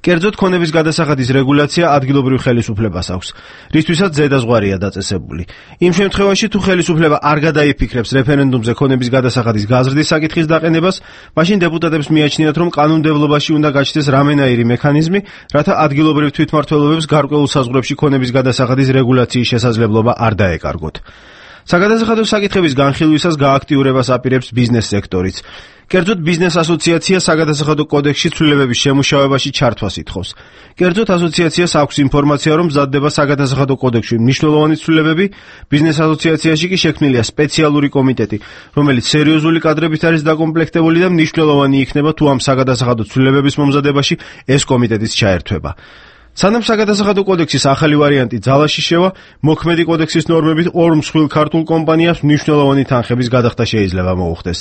კერძოდ, ქონების გადასახადის რეგულაცია ადგილობრივ ხელისუფლებას აქვს, რისთვისაც ზედაზღვარია დაწესებული. იმ შემთხვევაში, თუ ხელისუფლება არ გადაიფიქრებს რეფერენდუმზე ქონების გადასახადის გაზრდის საკითხის დაყენებას, მაშინ დეპუტატებს მიაჩნიათ, რომ კანონმდებლობაში უნდა გაჩნდეს რამენაირი მექანიზმი, რათა ადგილობრივ თვითმმართველობებს გარკვეულ საზღვრებში ქონების გადასახადის რეგულაციის შესაძლებლობა არ დაეკარგოთ. საგადასახადო საკითხების განხილვისას გააქტიურებას აპირებს ბიზნეს სექტორიც. კერძოდ, ბიზნეს ასოციაცია საგადასახადო კოდექსში ცვლილებების შემუშავებაში ჩართვას ითხოვს. კერძოდ, ასოციაციას აქვს ინფორმაცია, რომ მზადდება საგადასახადო კოდექსში მნიშვნელოვანი ცვლილებები, ბიზნეს ასოციაციაში კი შექმნილია სპეციალური კომიტეტი, რომელიც სერიოზული კადრებით არის დაკომპლექტებული და მნიშვნელოვანი იქნება, თუ ამ საგადასახადო ცვლილებების მომზადებაში ეს კომიტეტიც ჩაერთვება. სანამ საგადასახადო კოდექსის ახალი ვარიანტი ძალაში შევა, მოქმედი კოდექსის ნორმებით 2 მსხვილ ქართულ კომპანიას მნიშვნელოვანი თანხების გადახდა შეიძლება მოუხდეს.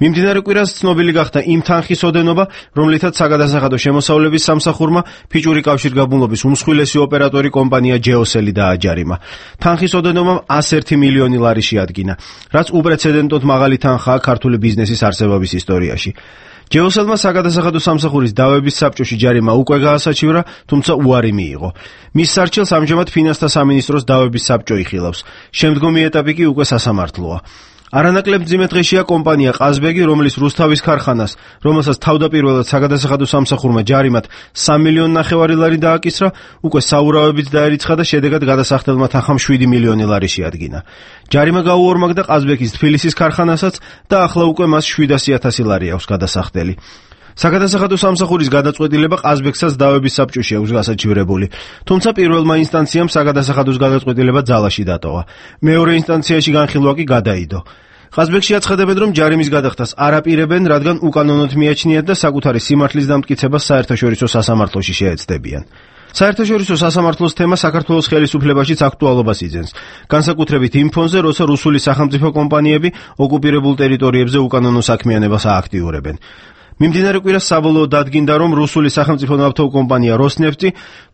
მიმდინარე კვირას ცნობილი გახდა იმ თანხის ოდენობა, რომლითაც საგადასახადო შემოსავლების სამსახურმა ფიჭური კავშირგაბმულობის უმსხვილესი ოპერატორი კომპანია ჯეოსელი დააჯარიმა. თანხის ოდენობამ 101 მილიონი ლარი შეადგინა, რაც უპრეცედენტოდ მაღალი თანხაა ქართული ბიზნესის არსებობის ისტორიაში. ჯეოსელმა საგადასახადო სამსახურის დავების საბჭოში ჯარიმა უკვე გაასაჩივრა, თუმცა უარი მიიღო. მის სარჩელს ამჟამად ფინანსთა სამინისტროს დავების საბჭო იხილავს. შემდგომი ეტაპი კი უკვე სასამართლოა. არანაკლებ მძიმე დღეშია კომპანია ყაზბეგი, რომლის რუსთავის ქარხანას, რომელსაც თავდაპირველად საგადასახადო სამსახურმა ჯარიმად 3 მილიონი ლარი დააკისრა, უკვე საურავებით დაერიცხა და შედეგად გადასახდელმა თანხამ 7 მილიონი ლარი შეადგინა. ჯარიმა გაუორმაგდა ყაზბეგის თბილისის ქარხანასაც და ახლა უკვე მას 700.000 ლარი აქვს გადასახდელი. საგადასახადო სამსახურის გადაწყვეტილება ყაზბეგსაც დავების საბჭოში აქვს გასაჩივრებული, თუმცა პირველმა ინსტანციამ საგადასახადოს გადაწყვეტილება ძალაში დატოვა. მეორე ინსტანციაში განხილვა კი გადაიდო. ყაზბეგში აცხადებენ, რომ ჯარიმის გადახდას არ აპირებენ, რადგან უკანონოდ მიაჩნიათ და საკუთარი სიმართლის დამტკიცებას საერთაშორისო სასამართლოში შეეცდებიან. საერთაშორისო სასამართლოს თემა საქართველოს ხელისუფლებაშიც აქტუალობას იძენს, განსაკუთრებით იმ ფონზე, როცა რუსული სახელმწიფო კომპანიები ოკუპირებულ ტერიტორიებზე უკანონო საქმიანობას ააქტიურებენ. მიმდინარე კვირას საბოლოოდ დადგინდა, რომ რუსული სახელმწიფო ნავთობკომპანია როსნეფტი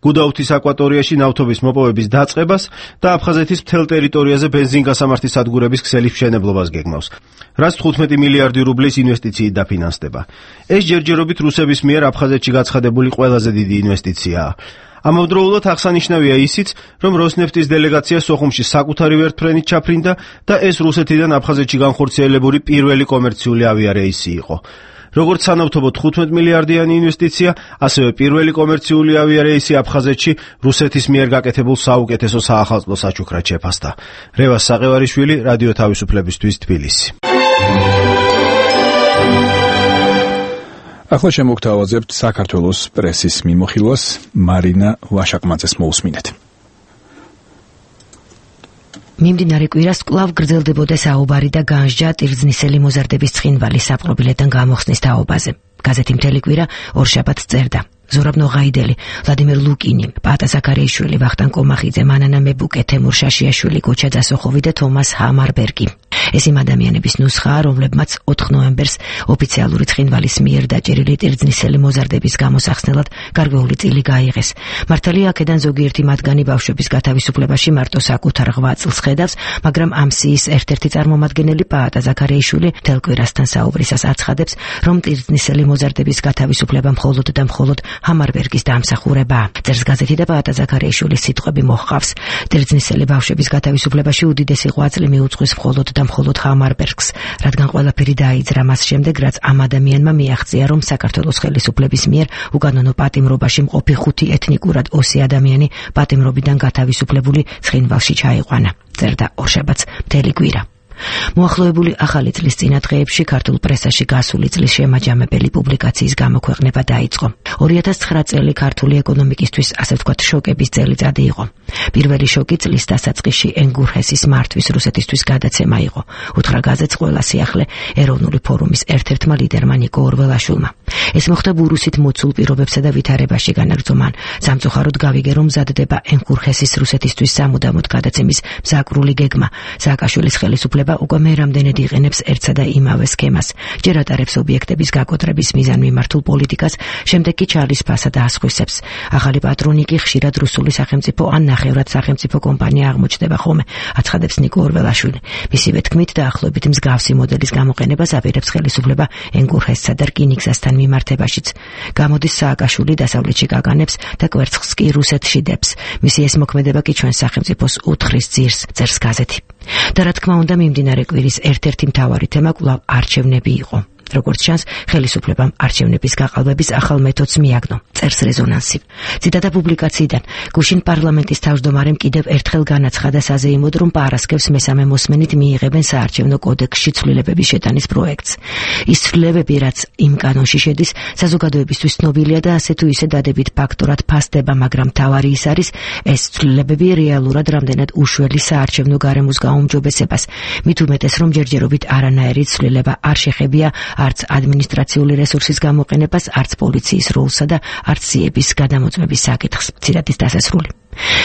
გუდაუთის აკვატორიაში ნავთობის მოპოვების დაწყებას და აფხაზეთის მთელ ტერიტორიაზე ბენზინგასამართის სადგურების ქსელის მშენებლობას გეგმავს, რაც 15 მილიარდი რუბლის ინვესტიციით დაფინანსდება. ეს ჯერჯერობით რუსების მიერ აფხაზეთში გაცხადებული ყველაზე დიდი ინვესტიციაა. ამავდროულად აღსანიშნავია ისიც, რომ როსნეფტის დელეგაცია სოხუმში საკუთარი ვერტფრენით ჩაფრინდა და ეს რუსეთიდან აფხაზეთში განხორციელებული პირველი კომერციული ავიარეისი იყო. როგორც სანავთობო 15 მილიარდიანი ინვესტიცია, ასევე პირველი კომერციული ავიარეისი აფხაზეთში რუსეთის მიერ გაკეთებულ საუკეთესო საახალწლო საჩუქრად შეფასდა. რევას საყევარიშვილი, რადიო თავისუფლებისთვის, თბილისი. ახლა შემოგთავაზებთ საქართველოს პრესის მიმოხილვას, მარინა ვაშაკმაძეს მოусმინეთ. მიმდინარე კვირას კვლავ გრძელდებოდა საუბარი და განსჯა ტირზნისელი მოზარდების ცხინვალის საპყრობილედან გამოხსნის თაობაზე. გაზეთი მთელი კვირა ორშაბათს წერდა. ზურაბ ნოღაიდელი, ვლადიმერ ლუკინი, პატა ზაქარიაშვილი, ვახტანგ კომახიძე, მანანა მებუკე, თემურ შაშიაშვილი, გოჩა ძასოხოვი და თომას ჰამარბერგი. ეს იმ ადამიანების ნუსხაა, რომლებმაც 4 ნოემბერს ოფიციალური ცხინვალის მიერ დაჭერილი ტირზნისელი მოზარდების გამოსახსნელად გარკვეული წილი გაიღეს. მართალია აქედან ზოგიერთი მათგანი ბავშვების გათავისუფლებაში მარტო საკუთარ 8 წელს ხედავს, მაგრამ ამ სიის ერთ-ერთი წარმომადგენელი პატა ზაქარიაშვილი მთელ კვირასთან საუბრისას აცხადებს, რომ ტირზნისელი მოზარდების გათავისუფლება მხოლოდ და მხოლოდ ჰამარბერგის დამსახურებაა. წერს გაზეთი და პატა ზაქარიაშვილის სიტყვები მოჰყავს. ტირზნისელი ბავშვების გათავისუფლებაში უდიდესი ღვაწლი მიუძღვის მხოლოდ და მხოლოდ ჰამარბერგს, რადგან ყველაფერი დაიძრა მას შემდეგ, რაც ამ ადამიანმა მიაღწია, რომ საქართველოს ხელისუფლების მიერ უკანონო პატიმრობაში მყოფი 5 ეთნიკურად ოსი ადამიანი პატიმრობიდან გათავისუფლებული ცხინვალში ჩაიყვანა. წერდა ორშაბათს მთელი კვირა. მოახლოებული ახალი წლის წინა დღეებში ქართულ პრესაში გასული წლის შემაჯამებელი პუბლიკაციის გამოქვეყნება დაიწყო. 2009 წელი ქართული ეკონომიკისთვის ასე ვთქვათ შოკების წელიწადი იყო. პირველი შოკი წლის დასაწყისში ენგურჰესის მართვის რუსეთისთვის გადაცემა იყო. უთხრა გაზეთს ყველა სიახლე ეროვნული ფორუმის ერთ-ერთმა ლიდერმა ნიკო ორველაშვილმა. ეს მოხდა ბურუსით მოცულ პირობებსა და ვითარებაში განაგრძო მან. სამწუხაროდ გავიგე, რომ მზადდება ენგურჰესის რუსეთისთვის სამუდამოდ გადაცემის მზაკრული გეგმა. სააკაშვილის ხელისუფლება უკვე მე რამდენად იყენებს ერთსა და იმავე სქემას. ჯერ ატარებს ობიექტების გაკოტრების მიზანმიმართულ პოლიტიკას, შემდეგ კი ჩარლის ფასად ასხვისებს. ახალი პატრონი კი ხშირად რუსული სახელმწიფო ან ნახევრად სახელმწიფო კომპანია აღმოჩნდება ხოლმე, აცხადებს ნიკო ორველაშვილი. მისივე თქმით, დაახლოებით მსგავსი მოდელის გამოყენებას აპირებს ხელისუფლება ენგურჰესსა და რკინიგზასთან მიმართებაშიც. გამოდის სააკაშვილი დასავლეთში გაგანებს და კვერცხს კი რუსეთში დებს. მისი ეს მოქმედება კი ჩვენს სახელმწიფოს უთხრის ძირს, წერს გაზეთი. და რა თქმა უნდა, მიმდინარე კვირის ერთ-ერთი მთავარი თემა კვლავ არჩევნები იყო. როგორც ჩანს, ხელისუფლებამ არჩევნების გაყალბების ახალ მეთოდს მიაგნო, წერს რეზონანსი. ციტატა პუბლიკაციიდან. გუშინ პარლამენტის თავმჯდომარემ კიდევ ერთხელ განაცხადა საზეიმოდ, რომ პარასკევს მესამე მოსმენით მიიღებენ საარჩევნო კოდექსში ცვლილებების შეტანის პროექტს. ის ცვლილებები, რაც იმ კანონში შედის, საზოგადოებისთვის ცნობილია და ასე თუ ისე დადებით ფაქტორად ფასდება, მაგრამ მთავარი ის არის, ეს ცვლილებები რეალურად რამდენად უშველი საარჩევნო გარემოს გაუმჯობესებას. მით უმეტეს, რომ ჯერჯერობით არანაირი ცვლილება არ შეხებია არც ადმინისტრაციული რესურსის გამოყენებას, არც პოლიციის როლსა და არც სიების გადამოწმების საკითხს. ციტატის დასასრული.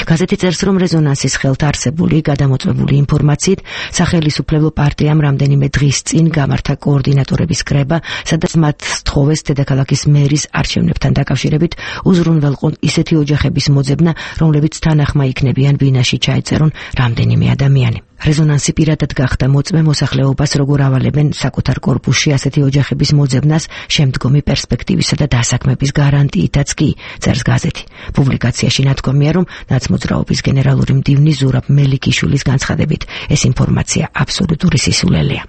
გაზეთი წერს, რომ რეზონანსის ხელთ არსებული გადამოწმებული ინფორმაციით სახელისუფლებო პარტიამ რამდენიმე დღის წინ გამართა კოორდინატორების კრება, სადაც მათ სთხოვეს დედაქალაქის მერის არჩევნებთან დაკავშირებით უზრუნველყონ ისეთი ოჯახების მოძებნა, რომლებიც თანახმა იქნებიან ბინაში ჩაეწერონ რამდენიმე ადამიანი. რეზონანსი პირადად გახდა მოწმე მოსახლეობას, როგორ ავალებენ საკუთარ კორპუსში ასეთი ოჯახების მოძებნას შემდგომი პერსპექტივისა და დასაქმების გარანტიითაც კი, წერს გაზეთი. პუბლიკაციაში ნათქვამია, რომ ნაცმოძრაობის გენერალური მდივნის ზურაბ მელიქიშვილის განცხადებით, ეს ინფორმაცია აბსოლუტური სისულელეა.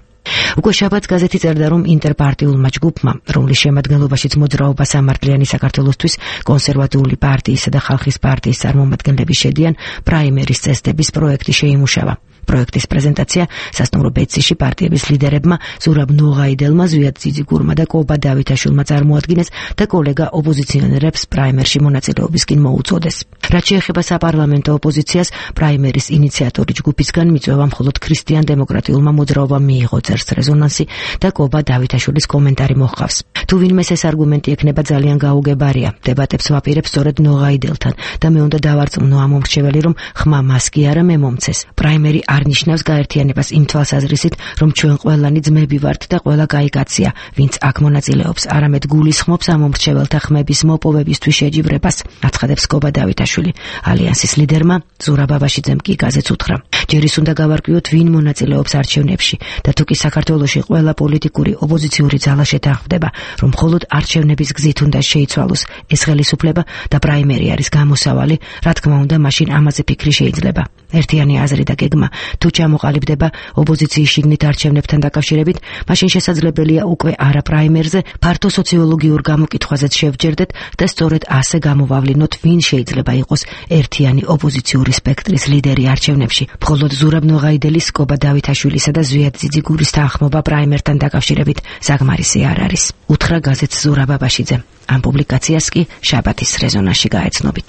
უკვე შაბათს გაზეთი წერდა, რომ ინტერპარტიულმა ჯგუფმა, რომლის შემადგენლობაშიც მოძრაობა სამართლიანი საქართველოსთვის, კონსერვატიული პარტიისა და ხალხის პარტიის წარმომადგენლები შედიან, პრაიმერის წესდების პროექტი შეიმუშავა. პროექტის პრეზენტაცია სასტუმრო ბეცისში პარტიების ლიდერებმა ზურაბ ნოღაიდელმა, ზვიად ძიძიგურმა და კობა დავითაშვილმა წარმოადგინეს და კოლეგა ოპოზიციონერებს პრაიმერში მონაწილეობისკენ მოუწოდეს. რაც შეეხება საპარლამენტო ოპოზიციას, პრაიმერის ინიციატორი ჯგუფისგან მიწვევა მხოლოდ ქრისტიან-დემოკრატიულმა მოძრაობამ მიიღო, წერს რეზონანსი და კობა დავითაშვილის კომენტარი მოჰყავს. თუ ვინმეს ეს არგუმენტი ექნება ძალიან გაუგებარია, დებატებს ვაპირებ სწორედ ნოღაიდელთან და მე უნდა დავარწმუნო ამ მომრჩეველი, რომ ხმა მას კი არა მე მომცეს. პრაიმერი არ ნიშნავს გაერთიანებას იმ თვალსაზრისით, რომ ჩვენ ყველანი ძმები ვართ და ყველა კაი კაცია, ვინც აქ მონაწილეობს, არამედ გულისხმობს ამ მომრჩეველთა ხმების მოპოვებისთვის შეჯიბრებას, აცხადებს კობა დავითაშვილი. ალიანსის ლიდერმა ზურაბ აბაშიძემ კი გაზეთს უთხრა. ჯერ ის უნდა გავარკვიოთ, ვინ მონაწილეობს არჩევნებში და თუ კი საქართველოში ყველა პოლიტიკური ოპოზიციური ძალა შეთანხმდება, რომ მხოლოდ არჩევნების გზით უნდა შეიცვალოს ეს ხელისუფლება და პრაიმერი არის გამოსავალი, რა თქმა უნდა, მაშინ ამაზე ფიქრი შეიძლება. ერთიანი აზრი და გეგმა თუ ჩამოყალიბდება ოპოზიციის შიგნით არჩევნებთან დაკავშირებით, მაშინ შესაძლებელია უკვე არა პრაიმერზე, ფართო სოციოლოგიურ გამოკითხვაზეც შევჯერდეთ და სწორედ ასე გამოვავლინოთ, ვინ შეიძლება იყოს ერთიანი ოპოზიციური სპექტრის ლიდერი არჩევნებში. მხოლოდ ზურაბ ნოღაიდელის, კობა დავითაშვილისა და ზვიად ძიძიგურის თანხმობა პრაიმერთან დაკავშირებით საკმარისი არ არის. უთხრა გაზეთს ზურაბ აბაშიძემ. ამ პუბლიკაციას კი შაბათის რეზონანსში გაეცნობით.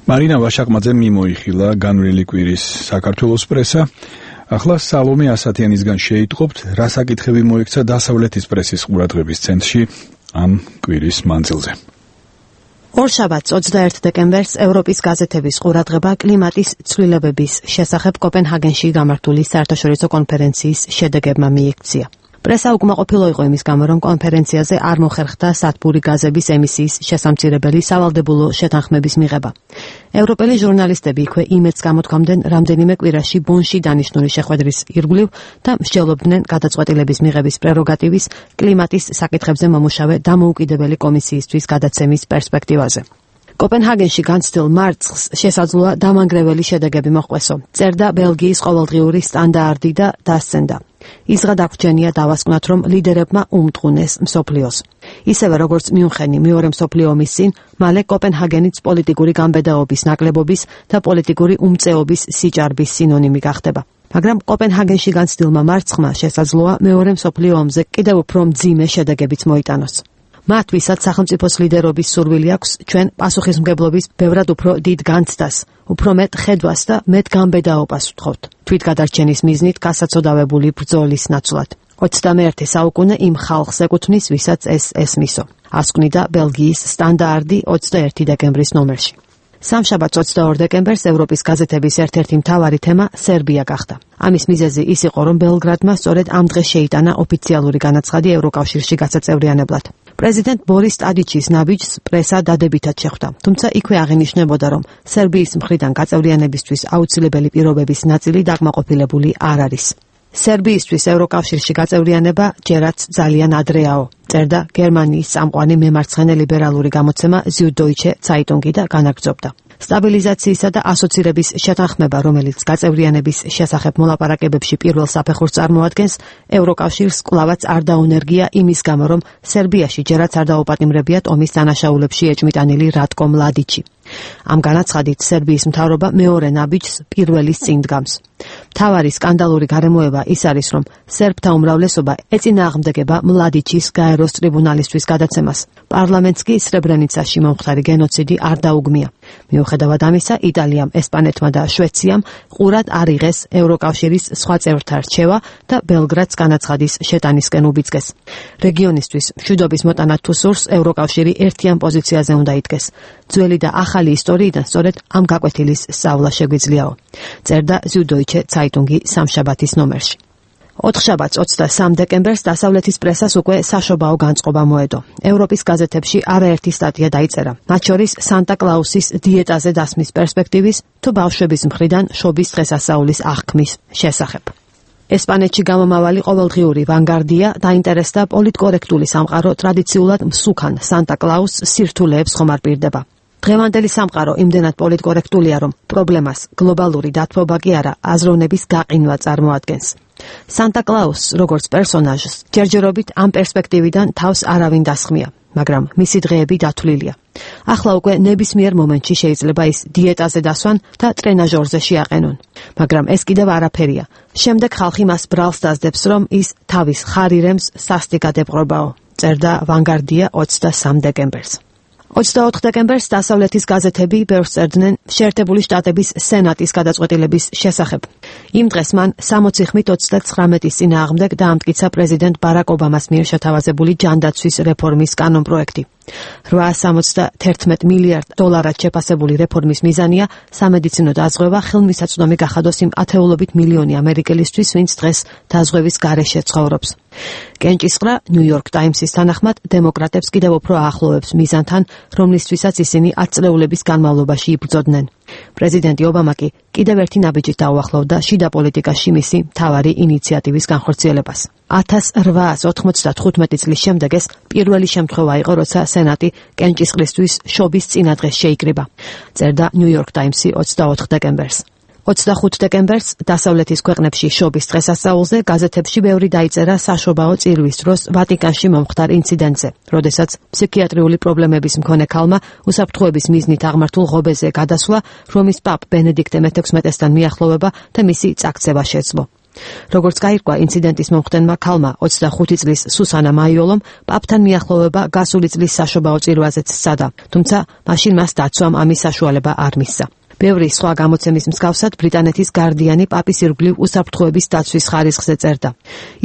მარინა ვაშაკმაძემ მიმოიხილა განვლილი კვირის საქართველოს პრესა. ახლა სალომე ასათიანისგან შეიტყობთ, რა საკითხები მოექცა დასავლეთის პრესის ყურადღების ცენტრში ამ კვირის მანძილზე. ორშაბათს 21 დეკემბერს ევროპის გაზეთების ყურადღება კლიმატის ცვლილებების შესახებ კოპენჰაგენში გამართული საერთაშორისო კონფერენციის შედეგებმა მიიქცია. პრესა უკმაყოფილო იყო იმის გამო, რომ კონფერენციაზე არ მოხერხდა სათბური გაზების ემისიის შესამცირებელი სავალდებულო შეთანხმების მიღება. ევროპელი ჟურნალისტები იქვე იმედს გამოთქვამდნენ რამდენიმე კვირაში ბონში დანიშნული შეხვედრის ირგვლივ და მსჯელობდნენ გადაწყვეტილების მიღების პრეროგატივის კლიმატის საკითხებზე მომუშავე დამოუკიდებელი კომისიისთვის გადაცემის პერსპექტივაზე. კოპენჰაგენში განცდილ მარცხს შესაძლოა დამანგრეველი შედეგები მოჰყვესო. წერდა ბელგიის ყოველდღიური სტანდარტი და დასცენდა. ისღა დაგვრჩენია დავასკვნათ, რომ ლიდერებმა უმტყუნეს მსოფლიოს. ისევე როგორც მიუნხენი მეორე მსოფლიო ომის წინ, მალე კოპენჰაგენიც პოლიტიკური გამბედაობის ნაკლებობის და პოლიტიკური უმწეობის სიჭარბის სინონიმი გახდება. მაგრამ კოპენჰაგენში განცდილმა მარცხმა შესაძლოა მეორე მსოფლიო ომზე კიდევ უფრო მძიმე შედეგებიც მოიტანოს. მათ, ვისაც სახელმწიფოს ლიდერობის სურვილი აქვს, ჩვენ პასუხისმგებლობის ბევრად უფრო დიდ განცდას, უფრო მეტ ხედვას და მეტ გამბედაობას ვთხოვთ. თვითგადარჩენის მიზნით გასაცოდავებული ბრძოლის ნაცვლად. 21 საუკუნე იმ ხალხს ეკუთვნის, ვისაც ეს ესმისო. ასკვნიდა ბელგიის სტანდარტი 21 დეკემბრის ნომერში. სამშაბათს 22 დეკემბერს ევროპის გაზეთების ერთ-ერთი მთავარი თემა სერბია გახდა. ამის მიზეზი ის იყო, რომ ბელგრადმა სწორედ ამ დღეს შეიტანა ოფიციალური განაცხადი ევროკავშირში გასაწევრიანებლად. პრეზიდენტ ბორის ტადიჩის ნაბიჯს პრესა დადებითად შეხვდა, თუმცა იქვე აღინიშნებოდა, რომ სერბიის მხრიდან გაწევრიანებისთვის აუცილებელი პირობების ნაწილი დაკმაყოფილებული არ არის. სერბიისთვის ევროკავშირში გაწევრიანება ჯერაც ძალიან ადრეაო, წერდა გერმანიის წამყვანი მემარცხენე ლიბერალური გამოცემა Süddeutsche Zeitung და განაგრძობდა. სტაბილიზაციისა და ასოცირების შეთანხმება, რომელიც გაწევრიანების შესახებ მოლაპარაკებებში პირველ საფეხურს წარმოადგენს, ევროკავშირს კვლავაც არ დაუნერგია იმის გამო, რომ სერბიაში ჯერაც არ დაუპატიმრებიათ ომის დანაშაულებში ეჭმიტანილი რატკო მლადიჩი. ამ განაცხადით სერბიის მთავრობა მეორე ნაბიჯს პირველის წინ დგამს. მთავარი სკანდალური გარემოება ის არის, რომ სერბთა უმრავლესობა ეწინააღმდეგება მლადიჩის გაეროს ტრიბუნალისთვის გადაცემას. პარლამენტს კი სრებრენიცაში მომხდარი გენოციდი არ დაუგმია. მიუხედავად ამისა, იტალიამ, ესპანეთმა და შვეციამ ყურად არ იღეს ევროკავშირის სხვა წევრთა რჩევა და ბელგრადს განაცხადის შეტანისკენ უბიძგეს. რეგიონისთვის მშვიდობის მოტანა თუ სურს, ევროკავშირი ერთიან პოზიციაზე უნდა იდგეს. ძველი და ახალი ისტორიიდან სწორედ ამ გაკვეთილის სწავლა შეგვიძლიაო, წერდა Süddeutsche Zeitung სამშაბათის ნომერში. ოთხშაბათს 23 დეკემბერს დასავლეთის პრესას უკვე საშობაო განწყობა მოედო. ევროპის გაზეთებში არაერთი სტატია დაიწერა, მათ შორის სანტა კლაუსის დიეტაზე დასმის პერსპექტივის თუ ბავშვების მხრიდან შობის დღესასწაულის აღქმის შესახებ. ესპანეთში გამომავალი ყოველდღიური ვანგარდია დაინტერესდა პოლიტკორექტული სამყარო ტრადიციულად მსუქან სანტა კლაუსს სირთულეებს ხომ არ პირდება. დღევანდელი სამყარო იმდენად პოლიტკორექტულია, რომ პრობლემას გლობალური დათბობა კი არა, აზროვნების გაყინვა წარმოადგენს. სანტა კლაუსს, როგორც პერსონაჟს, ჯერჯერობით ამ პერსპექტივიდან თავს არავინ დასხმია, მაგრამ მისი დღეები დათვლილია. ახლა უკვე ნებისმიერ მომენტში შეიძლება ის დიეტაზე დასვან და ტრენაჟორზე შეაყენონ. მაგრამ ეს კიდევ არაფერია. შემდეგ ხალხი მას ბრალს დასდებს, რომ ის თავის ხარირემს სასტიკად ეპყრობაო, წერდა ვანგარდია 23 დეკემბერს. 24 დეკემბერს დასავლეთის გაზეთები ბევრს წერდნენ შეერთებული შტატების სენატის გადაწყვეტილების შესახებ. იმ დღეს მან 60-29 წინააღმდეგ დაამტკიცა პრეზიდენტ ბარაკ ობამას მიერ შეთავაზებული ჯანდაცვის რეფორმის კანონპროექტი. 871 მილიარდ დოლარად შეფასებული რეფორმის მიზანია სამედიცინო დაზღვევა ხელმისაწვდომი გახადოს იმ ათეულობით მილიონი ამერიკელისთვის, ვინც დღეს დაზღვევის გარეშე ცხოვრობს. კენჭისყრა New York Times-ის თანახმად დემოკრატებს კიდევ უფრო აახლოვებს მიზანთან, რომლისთვისაც ისინი 10 წლეულების განმავლობაში იბრძოდნენ. პრეზიდენტი ობამა კი კიდევ ერთი ნაბიჯით დაუახლოვდა შიდა პოლიტიკაში მისი მთავარი ინიციატივის განხორციელებას. 1895 წლის შემდეგ ეს პირველი შემთხვევა იყო, როცა სენატი კენჭისყრისთვის შობის წინადღეს შეიკრიბა, წერდა New York Times-ი 24 დეკემბერს. 25 დეკემბერს დასავლეთის ქვეყნებში შობის დღესასწაულზე გაზეთებში ბევრი დაიწერა საშობაო წირვის დროს ვატიკანში მომხდარ ინციდენტზე, როდესაც ფსიქიატრიული პრობლემების მქონე ქალმა უსაფრთხოების მიზნით აღმართულ ღობეზე გადასვლა, რომის პაპ ბენედიქტე მე-16-თან მიახლოვება და მისი წაქცევა შეძლო. როგორც გაირკვა ინციდენტის მომხდენმა ქალმა 25 წლის სუსანა მაიოლომ პაპთან მიახლოვება გასული წლის საშობაო წირვაზეც სცადა, თუმცა მაშინ მას დაცვამ ამის საშუალება არ მისცა. ბევრი სხვა გამოცემის მსგავსად ბრიტანეთის გარდიანი პაპის ირგვლივ უსაფრთხოების დაცვის ხარისხზე წერდა.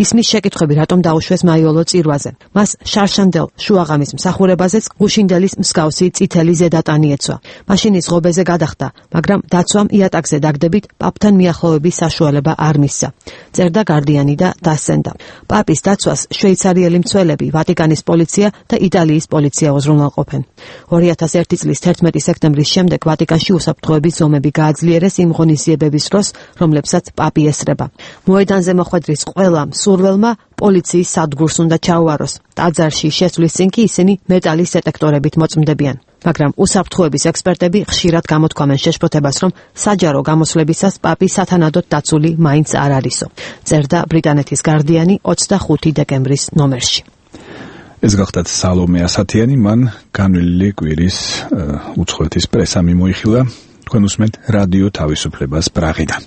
ისმის შეკითხვები რატომ დაუშვეს მაიოლო წირვაზე. მას შარშანდელ შუაღამის მსახურებაზეც გუშინდელის მსგავსი წითელი ზედატანი ეცვა. მაშინ ის ღობეზე გადახდა, მაგრამ დაცვამ იატაკზე დაგდებით პაპთან მიახლოვების საშუალება არ მისცა. წერდა გარდიანი და დასცენდა. პაპის დაცვას შვეიცარიელი მცველები, ვატიკანის პოლიცია და იტალიის პოლიცია უზრუნველყოფენ. 2001 წლის 11 სექტემბრის შემდეგ ვატიკანში უსაფრთხოების ზომები გააძლიერეს იმ ღონისძიებების დროს, რომლებსაც პაპი ესწრება. მოედანზე მოხვედრის ყველა მსურველმა პოლიციის სადგურს უნდა ჩაუაროს. ტაძარში შესვლის წინ კი ისინი მეტალის დეტექტორებით მოწმდებიან. მაგრამ უსაფრთხოების ექსპერტები ხშირად გამოთქვამენ შეშფოთებას, რომ საჯარო გამოსვლებისას პაპი სათანადოდ დაცული მაინც არ არისო. წერდა ბრიტანეთის გარდიანი 25 დეკემბრის ნომერში. ეს გახდათ სალომე ასათიანი, მან განვლილი კვირის უცხოეთის პრესა მიმოიხილა. თქვენ უსმენთ რადიო თავისუფლებას პრაღიდან.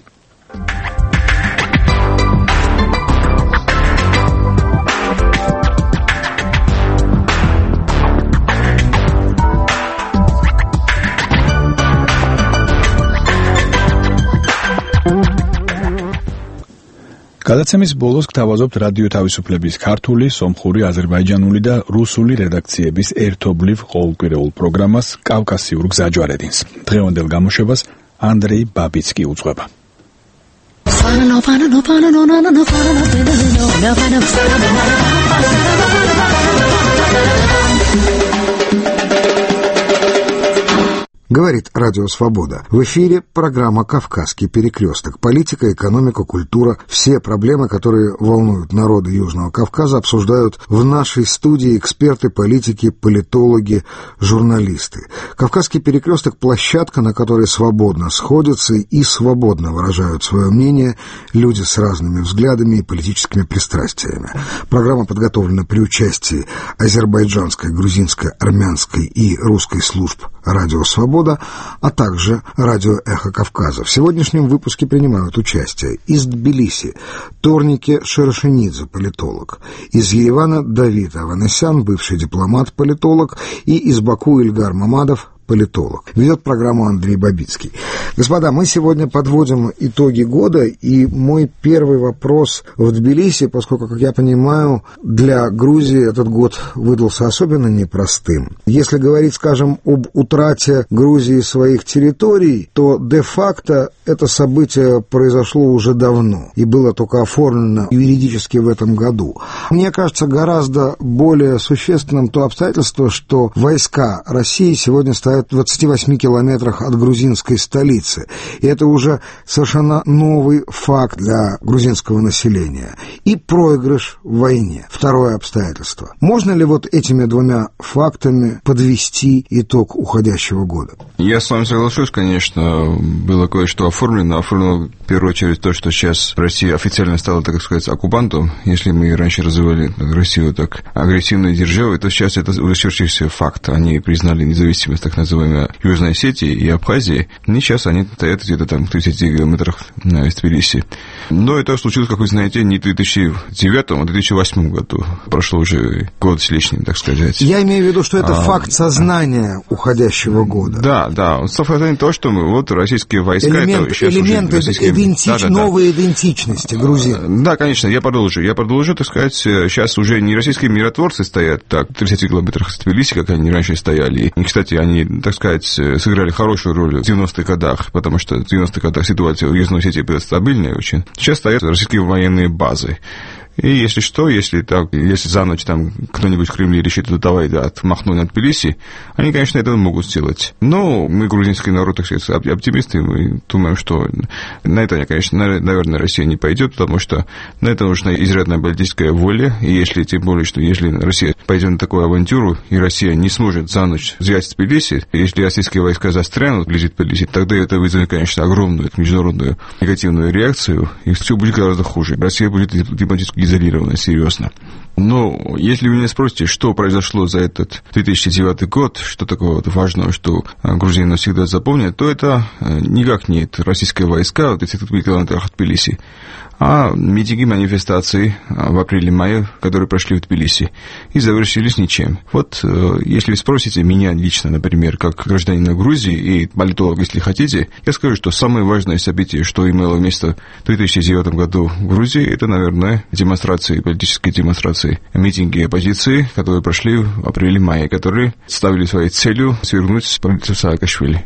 გადაცემის ბოლოს გთავაზობთ რადიო თავისუფლების ქართული, სომხური, აზერბაიჯანული და რუსული რედაქციების ერთობლივ ყოველკვირეულ პროგრამას კავკასიურ გზაჯვარედინს. დღევანდელ გამოშვებას ანდრეი ბაბიცკი უძღვება. Говорит Радио Свобода. В эфире программа «Кавказский перекресток». Политика, экономика, культура. Все проблемы, которые волнуют народы Южного Кавказа, обсуждают в нашей студии эксперты, политики, политологи, журналисты. «Кавказский перекресток» — площадка, на которой свободно сходятся и свободно выражают свое мнение люди с разными взглядами и политическими пристрастиями. Программа подготовлена при участии азербайджанской, грузинской, армянской и русской служб «Радио Свобода», а также радио «Эхо Кавказа». В сегодняшнем выпуске принимают участие из Тбилиси Торнике Шерешенидзе, политолог, из Еревана Давид Аванесян, бывший дипломат-политолог, и из Баку Ильгар Мамадов, политолог. Ведет программу Андрей Бабицкий. Господа, мы сегодня подводим итоги года, и мой первый вопрос в Тбилиси, поскольку, как я понимаю, для Грузии этот год выдался особенно непростым. Если говорить, скажем, об утрате Грузии своих территорий, то де-факто это событие произошло уже давно и было только оформлено юридически в этом году. Мне кажется, гораздо более существенным то обстоятельство, что войска России сегодня стоят в 28 километрах от грузинской столицы. И это уже совершенно новый факт для грузинского населения. И проигрыш в войне. Второе обстоятельство. Можно ли вот этими двумя фактами подвести итог уходящего года? Я с вами соглашусь, конечно, было кое-что оформлено. Оформлено в первую очередь то, что сейчас Россия официально стала, так сказать, оккупантом. Если мы раньше развивали Россию так агрессивной державой, то сейчас это вычеркивающийся факт. Они признали независимость так называемой Южной Осетии и Абхазии. И сейчас они стоят где-то там в 30 километрах из Тбилиси. Но это случилось, как вы знаете, не в 2009, а в 2008 году. Прошло уже год с лишним, так сказать. Я имею в виду, что это факт сознания уходящего года. Да. Совпадение то, что вот российские войска... Новой идентичности грузин. Да, конечно, я продолжу, так сказать, сейчас уже не российские миротворцы стоят так в 30 километрах от Тбилиси, как они раньше стояли. И, кстати, они, так сказать, сыграли хорошую роль в 90-х годах, потому что в 90-х годах ситуация в Южной Осетии была стабильная очень. Сейчас стоят российские военные базы. И если что, если за ночь там кто-нибудь в Кремле решит, давай отмахнуть от Тбилиси, они, конечно, этого могут сделать. Но мы, грузинский народ, так сказать, оптимисты, мы думаем, что на это, конечно, наверное, Россия не пойдет, потому что на это нужна изрядная политическая воля, и если, тем более, что если Россия пойдет на такую авантюру, и Россия не сможет за ночь взять Тбилиси, если российские войска застрянут вблизи Тбилиси, тогда это вызовет, конечно, огромную международную негативную реакцию, и все будет гораздо хуже. Россия будет дипломатически изолирована, серьезно. Но если вы меня спросите, что произошло за этот 2009 год, что такого важного, что грузины навсегда запомнят, то это никак не российские войска в 30 километрах от Тбилиси, а митинги, манифестации в апреле-мае, которые прошли в Тбилиси, и завершились ничем. Вот если вы спросите меня лично, например, как гражданина Грузии и политолог, если хотите, я скажу, что самое важное событие, что имело место в 2009 году в Грузии, это, наверное, демонстрации, политические демонстрации, митинги оппозиции, которые прошли в апреле-мае, которые ставили своей целью свергнуть правительство Саакашвили.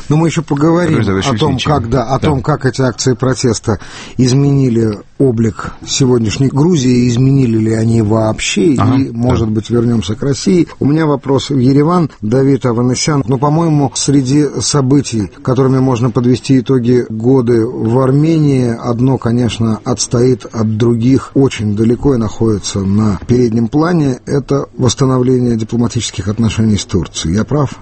Но мы еще поговорим о том, как эти акции протеста изменили облик сегодняшней Грузии, изменили ли они вообще, и, может быть, вернемся к России. У меня вопрос в Ереван. Давид Аванесян. По-моему, среди событий, которыми можно подвести итоги года в Армении, одно, конечно, отстоит от других очень далеко и находится на переднем плане. Это восстановление дипломатических отношений с Турцией. Я прав?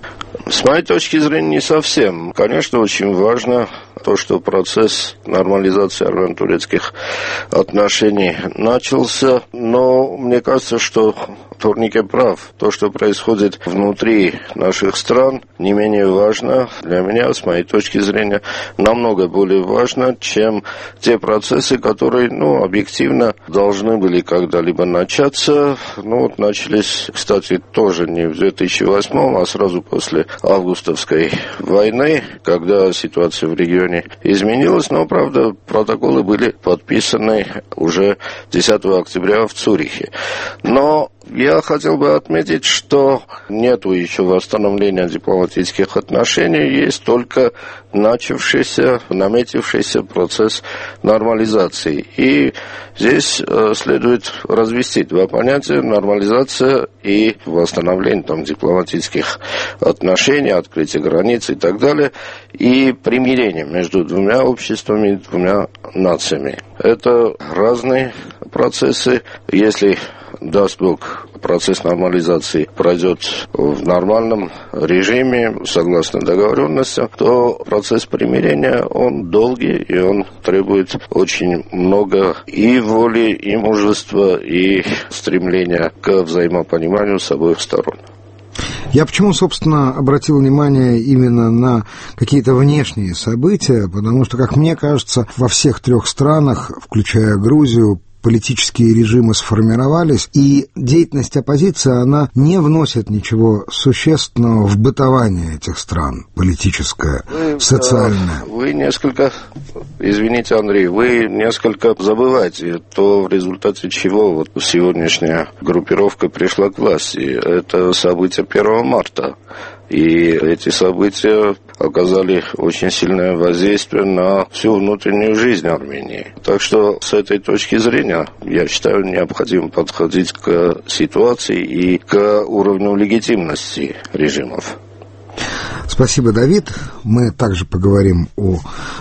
С моей точки зрения, не совсем. Конечно, очень важно то, что процесс нормализации армяно-турецких отношений начался, но мне кажется, что Турнике прав. То, что происходит внутри наших стран, не менее важно для меня, с моей точки зрения, намного более важно, чем те процессы, которые, объективно должны были когда-либо начаться. Начались, кстати, тоже не в 2008, а сразу после августовской войны, когда ситуация в регионе изменилась, но, правда, протоколы были подписаны уже 10 октября в Цюрихе. Но я хотел бы отметить, что нету еще восстановления дипломатических отношений, есть только наметившийся процесс нормализации. И здесь следует развести два понятия: нормализация и восстановление дипломатических отношений, открытие границ и так далее, и примирение между двумя обществами, двумя нациями. Это разные процессы. Если, даст Бог, процесс нормализации пройдет в нормальном режиме, согласно договоренностям, то процесс примирения, он долгий, и он требует очень много и воли, и мужества, и стремления к взаимопониманию с обоих сторон. Я почему, собственно, обратил внимание именно на какие-то внешние события, потому что, как мне кажется, во всех трех странах, включая Грузию, политические режимы сформировались, и деятельность оппозиции, она не вносит ничего существенного в бытование этих стран, политическое, социальное. Вы несколько, извините, Андрей, вы несколько забываете то, в результате чего сегодняшняя группировка пришла к власти. Это события 1 марта. И эти события оказали очень сильное воздействие на всю внутреннюю жизнь Армении. Так что с этой точки зрения, я считаю, необходимо подходить к ситуации и к уровню легитимности режимов. Спасибо, Давид. Мы также поговорим о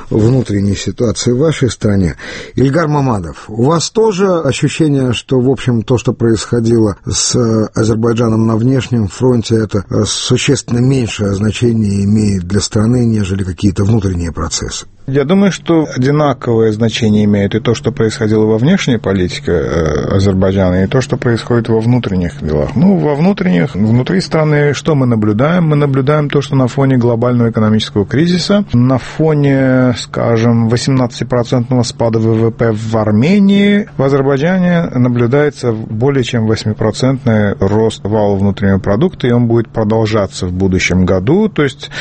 внутренней ситуации в вашей стране. Ильгар Мамадов, у вас тоже ощущение, что, в общем, то, что происходило с Азербайджаном на внешнем фронте, это существенно меньшее значение имеет для страны, нежели какие-то внутренние процессы? Я думаю, что одинаковое значение имеет и то, что происходило во внешней политике Азербайджана, и то, что происходит во внутренних делах. Во внутренних, внутри страны что мы наблюдаем? Мы наблюдаем то, что на фоне глобального экономического кризиса, на фоне, скажем, 18% спада ВВП в Армении, в Азербайджане наблюдается более чем 8% рост валового внутреннего продукта, и он будет продолжаться в будущем году. То есть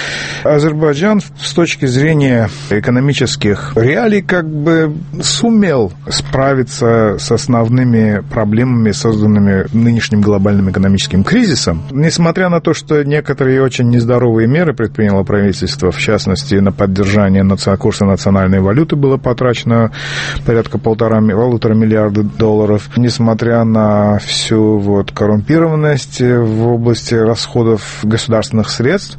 Азербайджан с точки зрения экономических реалий сумел справиться с основными проблемами, созданными нынешним глобальным экономическим кризисом. Несмотря на то, что некоторые очень нездоровые меры меры предприняло правительство, в частности, на поддержание курса национальной валюты было потрачено порядка $1,5 миллиарда. Несмотря на всю коррумпированность в области расходов государственных средств,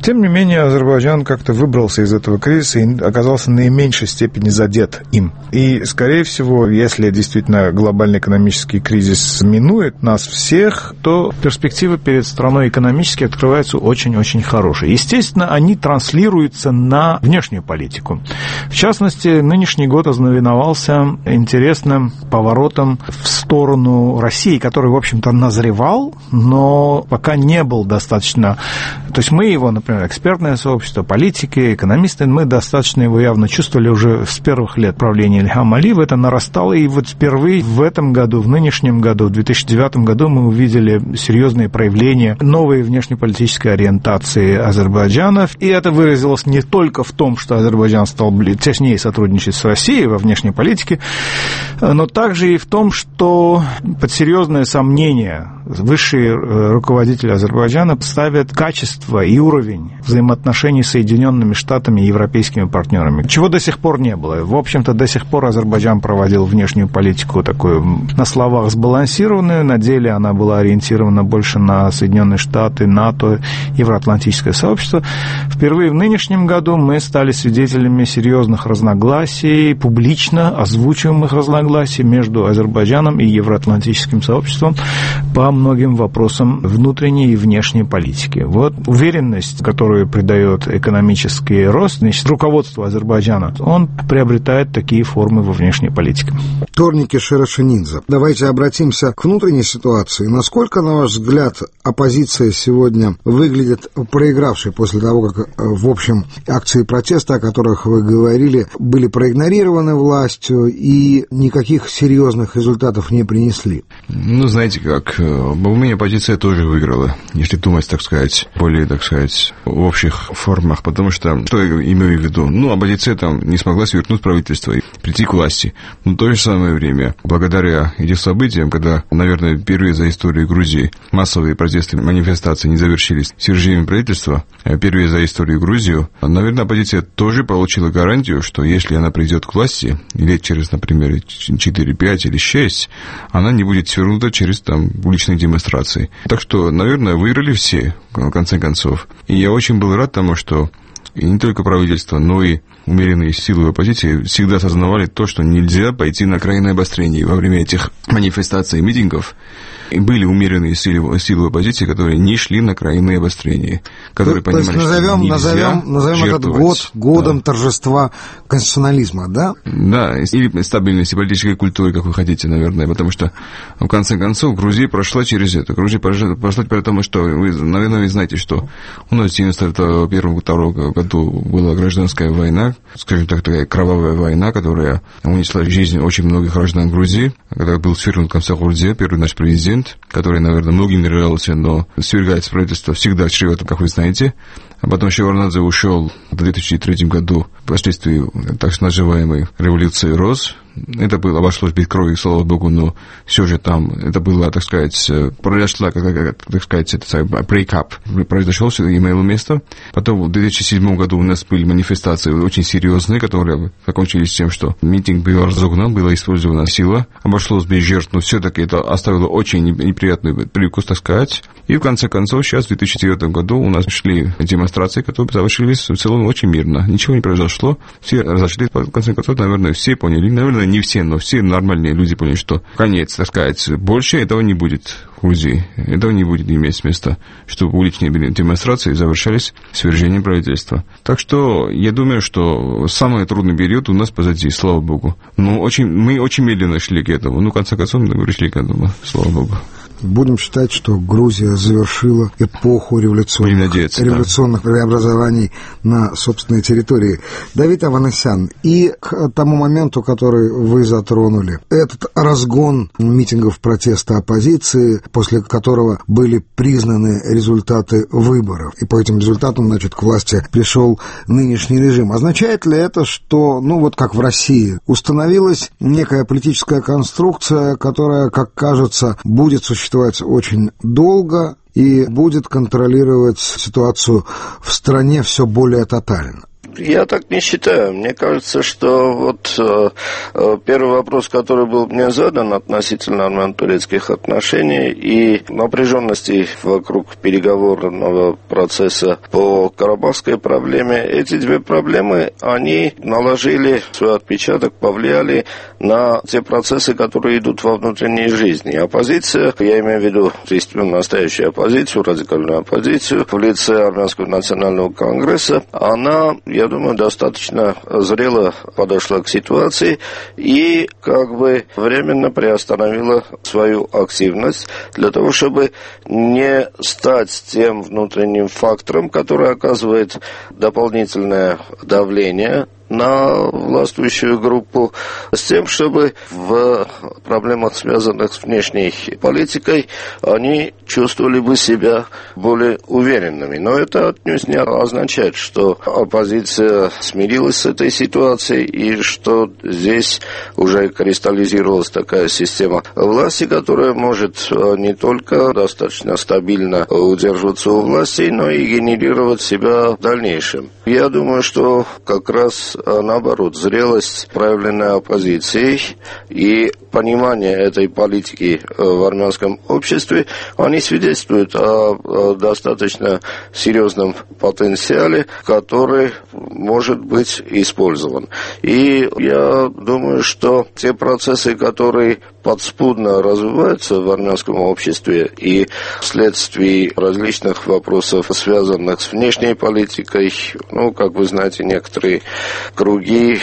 тем не менее Азербайджан как-то выбрался из этого кризиса и оказался в наименьшей степени задет им. И, скорее всего, если действительно глобальный экономический кризис минует нас всех, то перспективы перед страной экономически открываются очень-очень хорошие. Естественно, они транслируются на внешнюю политику. В частности, нынешний год ознаменовался интересным поворотом в сторону России, который, в общем-то, назревал, но пока не был достаточно... То есть мы его, например, экспертное сообщество, политики, экономисты, мы достаточно его явно чувствовали уже с первых лет правления Ильхама Алиева. Это нарастало, и впервые в этом году, в нынешнем году, в 2009 году мы увидели серьезные проявления новой внешнеполитической ориентации Азербайджана. И это выразилось не только в том, что Азербайджан стал теснее сотрудничать с Россией во внешней политике, но также и в том, что под серьезное сомнение высшие руководители Азербайджана ставят качество и уровень взаимоотношений с Соединенными Штатами и европейскими партнерами, чего до сих пор не было. В общем-то, до сих пор Азербайджан проводил внешнюю политику такую на словах сбалансированную, на деле она была ориентирована больше на Соединенные Штаты, НАТО, Евроатлантическое сообщество. Впервые в нынешнем году мы стали свидетелями серьезных разногласий, публично озвучиваемых разногласий между Азербайджаном и Евроатлантическим сообществом по многим вопросам внутренней и внешней политики. Уверенность, которую придает экономический рост, значит, руководство Азербайджана, он приобретает такие формы во внешней политике. Торники Шерашенидзе. Давайте обратимся к внутренней ситуации. Насколько, на ваш взгляд, оппозиция сегодня выглядит проигравшей после того, как, в общем, акции протеста, о которых вы говорили, были проигнорированы властью и никаких серьезных результатов не принесли? Знаете как, у меня оппозиция тоже выиграла, если думать, так сказать, более, так сказать, в общих формах, потому что, что я имею в виду? Оппозиция не смогла свернуть правительство и прийти к власти. Но в то же самое время, благодаря этим событиям, когда, наверное, впервые за историю Грузии массовые протесты, манифестации не завершились свержением правительства, впервые за историю Грузии, наверное, оппозиция тоже получила гарантию, что если она придет к власти, лет через, например, 4, 5 или 6, она не будет свернута через уличные демонстрации. Так что, наверное, выиграли все, в конце концов. И я очень был рад тому, что и не только правительство, но и умеренные силы оппозиции всегда осознавали то, что нельзя пойти на крайнее обострение. Во время этих манифестаций и митингов были умеренные силы оппозиции, которые не шли на крайнее обострение, которые понимали, что назовем этот год годом торжества конституционализма, да? Да, или стабильности политической культуры, как вы хотите, наверное, потому что, в конце концов, Грузия прошла через это. Грузия прошла потому, что вы, наверное, вы знаете, что у нас в 1991-1992 году была гражданская война, скажем так, такая кровавая война, которая унесла жизнь очень многих граждан Грузии, когда был свергнут Камсахурдзе, первый наш президент, который, наверное, многим не нравился, но свергается правительство всегда чревато, как вы знаете. А потом Шеварднадзе ушел в 2003 году впоследствии так называемой революции РОС. Это было, обошлось без крови, слава богу, но все же там это было, так сказать, произошла, так сказать, брейкап произошел, все имело место. Потом в 2007 году у нас были манифестации очень серьезные, которые закончились тем, что митинг был разогнан, была использована сила, обошлось без жертв, но все-таки это оставило очень неприятный привкус, так сказать. И в конце концов, сейчас в 2009 году у нас шли демонстрации, которые завершились в целом очень мирно. Ничего не произошло, все разошлись, в конце концов, наверное, все поняли, наверное, не все, но все нормальные люди поняли, что конец, так сказать, больше этого не будет в Грузии. Этого не будет иметь места, чтобы уличные демонстрации завершались свержением правительства. Так что я думаю, что самый трудный период у нас позади, слава богу. Мы очень медленно шли к этому. В конце концов, мы пришли к этому, слава богу. Будем считать, что Грузия завершила эпоху революционных преобразований на собственной территории. Давид Аванесян, и к тому моменту, который вы затронули, этот разгон митингов протеста оппозиции, после которого были признаны результаты выборов, и по этим результатам, к власти пришел нынешний режим. Означает ли это, что, как в России, установилась некая политическая конструкция, которая, как кажется, будет существовать очень долго, и будет контролировать ситуацию в стране все более тотально? Я так не считаю. Мне кажется, что вот первый вопрос, который был мне задан относительно армяно-турецких отношений и напряженности вокруг переговорного процесса по карабахской проблеме, эти две проблемы, они наложили свой отпечаток, повлияли на те процессы, которые идут во внутренней жизни. Оппозиция, я имею в виду действительно настоящую оппозицию, радикальную оппозицию в лице Армянского национального конгресса, она, я думаю, достаточно зрело подошла к ситуации и как бы временно приостановила свою активность для того, чтобы не стать тем внутренним фактором, который оказывает дополнительное давление на властвующую группу, с тем, чтобы в проблемах, связанных с внешней политикой, они чувствовали бы себя более уверенными. Но это отнюдь не означает, что оппозиция смирилась с этой ситуацией и что здесь уже кристаллизировалась такая система власти, которая может не только достаточно стабильно удерживаться у власти, но и генерировать себя в дальнейшем. Я думаю, что как раз наоборот, зрелость, проявленная оппозицией и понимание этой политики в армянском обществе, они свидетельствуют о достаточно серьезном потенциале, который может быть использован. И я думаю, что те процессы, которые подспудно развиваются в армянском обществе и вследствие различных вопросов, связанных с внешней политикой, как вы знаете, некоторые круги,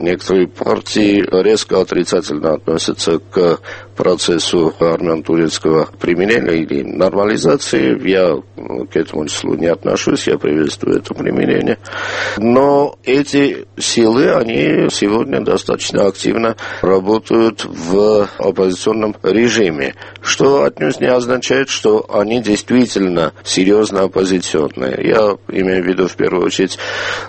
некоторые партии резко отрицательно относятся к процессу армяно-турецкого примирения или нормализации. Я к этому числу не отношусь, я приветствую это примирение. Но эти силы, они сегодня достаточно активно работают в оппозиционном режиме, что отнюдь не означает, что они действительно серьезно оппозиционные. Я имею в виду, в первую очередь,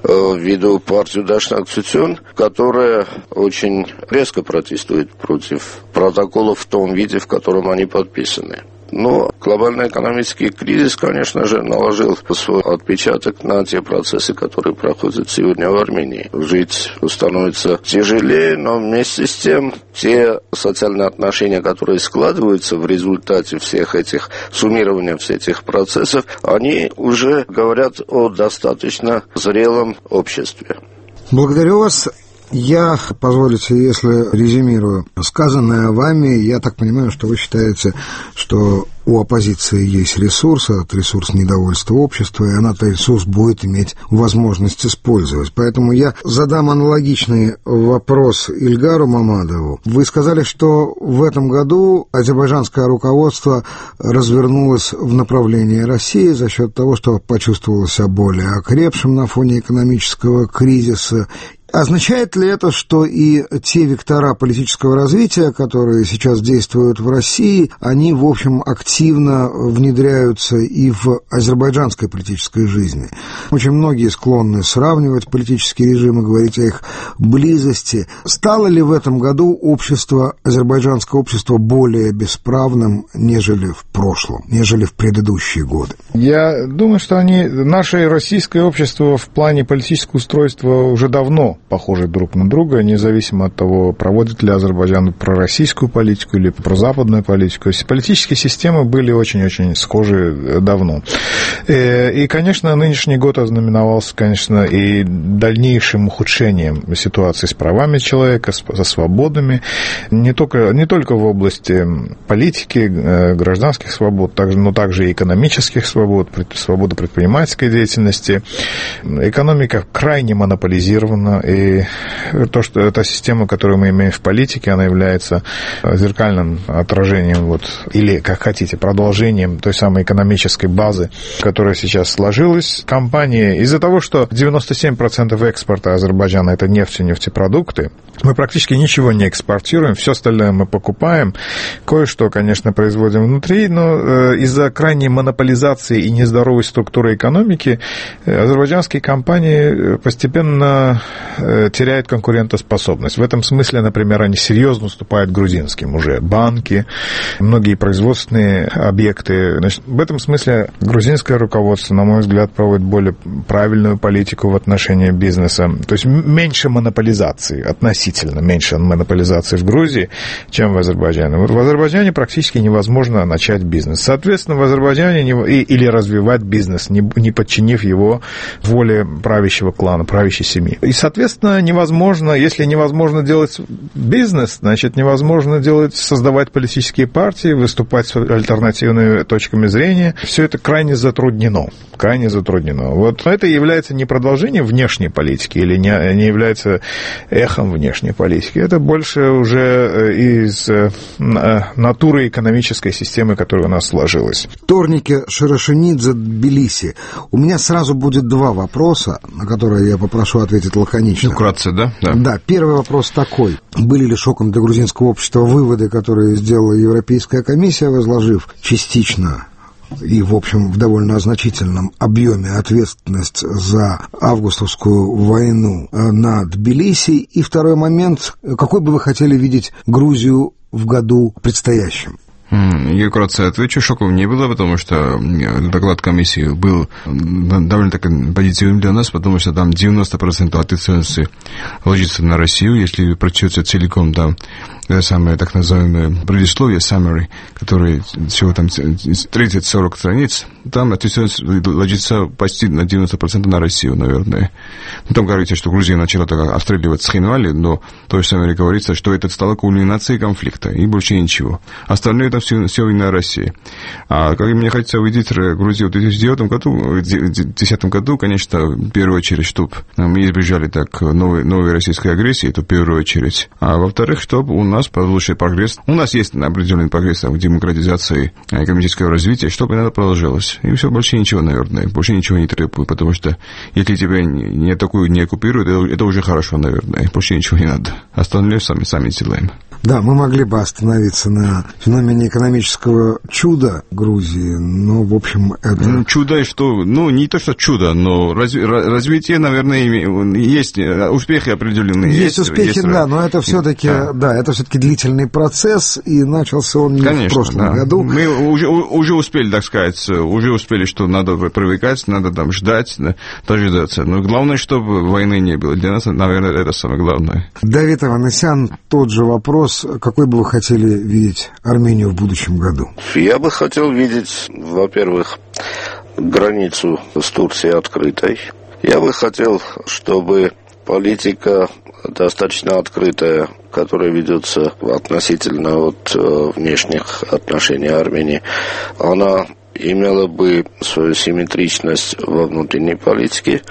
ввиду партию Дашнак Цутюн, которая очень резко протестует против протоколов в том виде, в котором они подписаны. Но глобальный экономический кризис, конечно же, наложил свой отпечаток на те процессы, которые проходят сегодня в Армении. Жить становится тяжелее, но вместе с тем те социальные отношения, которые складываются в результате всех этих суммирования всех этих процессов, они уже говорят о достаточно зрелом обществе. Благодарю вас. Я, позволите, если резюмирую сказанное вами, я так понимаю, что вы считаете, что у оппозиции есть ресурс, этот ресурс недовольства общества, и она этот ресурс будет иметь возможность использовать. Поэтому я задам аналогичный вопрос Ильгару Мамадову. Вы сказали, что в этом году азербайджанское руководство развернулось в направлении России за счет того, что почувствовало себя более окрепшим на фоне экономического кризиса. Означает ли это, что и те вектора политического развития, которые сейчас действуют в России, они, в общем, активно внедряются и в азербайджанской политической жизни? Очень многие склонны сравнивать политические режимы, говорить о их близости. Стало ли в этом году азербайджанское общество более бесправным, нежели в прошлом, нежели в предыдущие годы? Я думаю, что наше российское общество в плане политического устройства уже давно похожи друг на друга, независимо от того, проводит ли Азербайджан пророссийскую политику или прозападную политику. Политические системы были очень-очень схожи давно. И, конечно, нынешний год ознаменовался, конечно, и дальнейшим ухудшением ситуации с правами человека, со свободами, не только в области политики, гражданских свобод, но также и экономических свобод, свободы предпринимательской деятельности. Экономика крайне монополизирована, и то, что эта система, которую мы имеем в политике, она является зеркальным отражением, или, как хотите, продолжением той самой экономической базы, которая сейчас сложилась. Компании, из-за того, что 97% экспорта Азербайджана – это нефть и нефтепродукты, мы практически ничего не экспортируем, все остальное мы покупаем. Кое-что, конечно, производим внутри, но из-за крайней монополизации и нездоровой структуры экономики азербайджанские компании постепенно теряют конкурентоспособность. В этом смысле, например, они серьезно уступают грузинским уже. Банки, многие производственные объекты. Значит, в этом смысле грузинское руководство, на мой взгляд, проводит более правильную политику в отношении бизнеса. То есть меньше монополизации, относительно меньше монополизации в Грузии, чем в Азербайджане. Вот в Азербайджане практически невозможно начать бизнес. Соответственно, в Азербайджане или развивать бизнес, не подчинив его воле правящего клана, правящей семьи. И, соответственно, невозможно, если невозможно делать бизнес, значит, невозможно создавать политические партии, выступать с альтернативными точками зрения. Все это крайне затруднено. Вот это является не продолжением внешней политики или не является эхом внешней политики. Это больше уже из натуры экономической системы, которая у нас сложилась. Торнике Шарашенидзе, Тбилиси. У меня сразу будет два вопроса, на которые я попрошу ответить лаконично. Вкратце, да? Да, первый вопрос такой. Были ли шоком для грузинского общества выводы, которые сделала Европейская комиссия, возложив частично и, в общем, в довольно значительном объеме ответственность за августовскую войну на Тбилиси? И второй момент, какой бы вы хотели видеть Грузию в году предстоящем? Я вкратце отвечу, шоком не было, потому что доклад комиссии был довольно так позитивным для нас, потому что там 90% ответственности ложится на Россию, если прочтете целиком там самое так называемое предисловие, summary, которое всего там 30-40 страниц, там ответственность ложится почти на 90% на Россию, наверное. Там говорится, что Грузия начала так обстреливать Схинвали, но то же самое говорится, что это стало кульминацией конфликта, и больше ничего. Остальное это все вина России. А как мне хочется увидеть Грузию в 2010 году, конечно, в первую очередь, чтобы мы избежали так новой российской агрессии, это в первую очередь. А во-вторых, чтобы у нас получился прогресс. У нас есть определенный прогресс в демократизации экономического развития, чтобы это продолжилось. И все, больше ничего, наверное. Больше ничего не требует, потому что если тебя не атакуют, не оккупируют, это уже хорошо, наверное. Больше ничего не надо. Остальное сами делаем. Да, мы могли бы остановиться на феномене экономического чуда Грузии, но, в общем, это... Чудо, что... не то, что чудо, но развитие, наверное, есть успехи определенные. Есть успехи, да, но это все-таки, это все-таки длительный процесс, и начался он не в прошлом году. Мы уже успели, так сказать, что надо привыкать, надо там ждать, дожидаться. Но главное, чтобы войны не было. Для нас, наверное, это самое главное. Давид Аванесян, тот же вопрос. Какой бы вы хотели видеть Армению в будущем году? Я бы хотел видеть, во-первых, границу с Турцией открытой. Я бы хотел, чтобы политика достаточно открытая, которая ведется относительно от внешних отношений Армении, она имела бы свою симметричность во внутренней политике.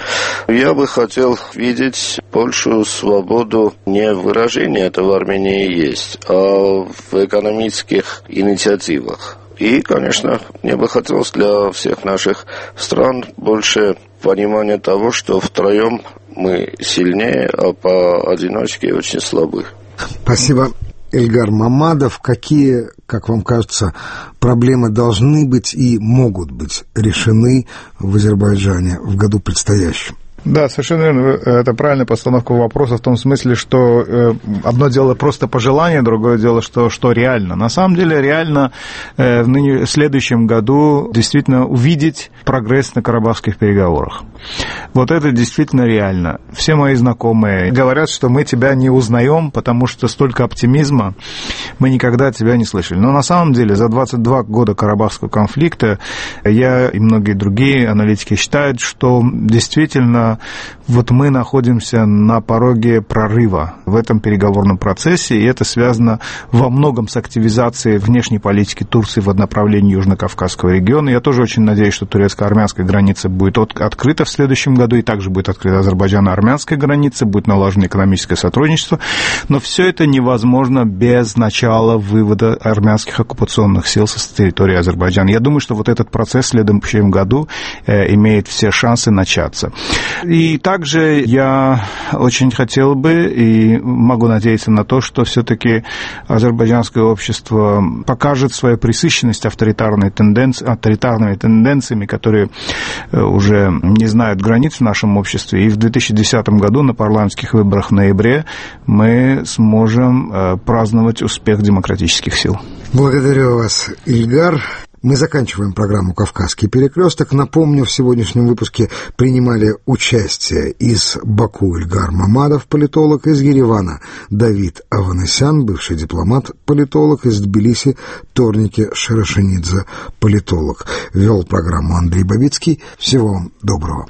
Я бы хотел видеть большую свободу не в выражении, это в Армении есть, а в экономических инициативах. И, конечно, мне бы хотелось для всех наших стран больше понимания того, что втроем мы сильнее, а поодиночке очень слабы. Спасибо. Эльгар Мамадов, какие, как вам кажется, проблемы должны быть и могут быть решены в Азербайджане в году предстоящем? Да, совершенно верно. Это правильная постановка вопроса в том смысле, что одно дело просто пожелание, другое дело, что реально. На самом деле, реально в следующем году действительно увидеть прогресс на карабахских переговорах. Вот это действительно реально. Все мои знакомые говорят, что мы тебя не узнаем, потому что столько оптимизма мы никогда тебя не слышали. Но на самом деле за 22 года карабахского конфликта я и многие другие аналитики считают, что действительно вот мы находимся на пороге прорыва в этом переговорном процессе, и это связано во многом с активизацией внешней политики Турции в направлении Южно-Кавказского региона. Я тоже очень надеюсь, что турецко-армянская граница будет открыта в следующем году, и также будет открыта азербайджано-армянская граница, будет налажено экономическое сотрудничество, но все это невозможно без начала вывода армянских оккупационных сил с территории Азербайджана. Я думаю, что вот этот процесс в следующем году имеет все шансы начаться. И также я очень хотел бы и могу надеяться на то, что все-таки азербайджанское общество покажет свою пресыщенность авторитарными тенденциями, которые уже не знают границ в нашем обществе. И в 2010 году на парламентских выборах в ноябре мы сможем праздновать успех демократических сил. Благодарю вас, Ильгар. Мы заканчиваем программу «Кавказский перекресток». Напомню, в сегодняшнем выпуске принимали участие из Баку Ильгар Мамадов, политолог, из Еревана Давид Аванесян, бывший дипломат, политолог, из Тбилиси Торники Шарашенидзе, политолог. Вел программу Андрей Бабицкий. Всего вам доброго.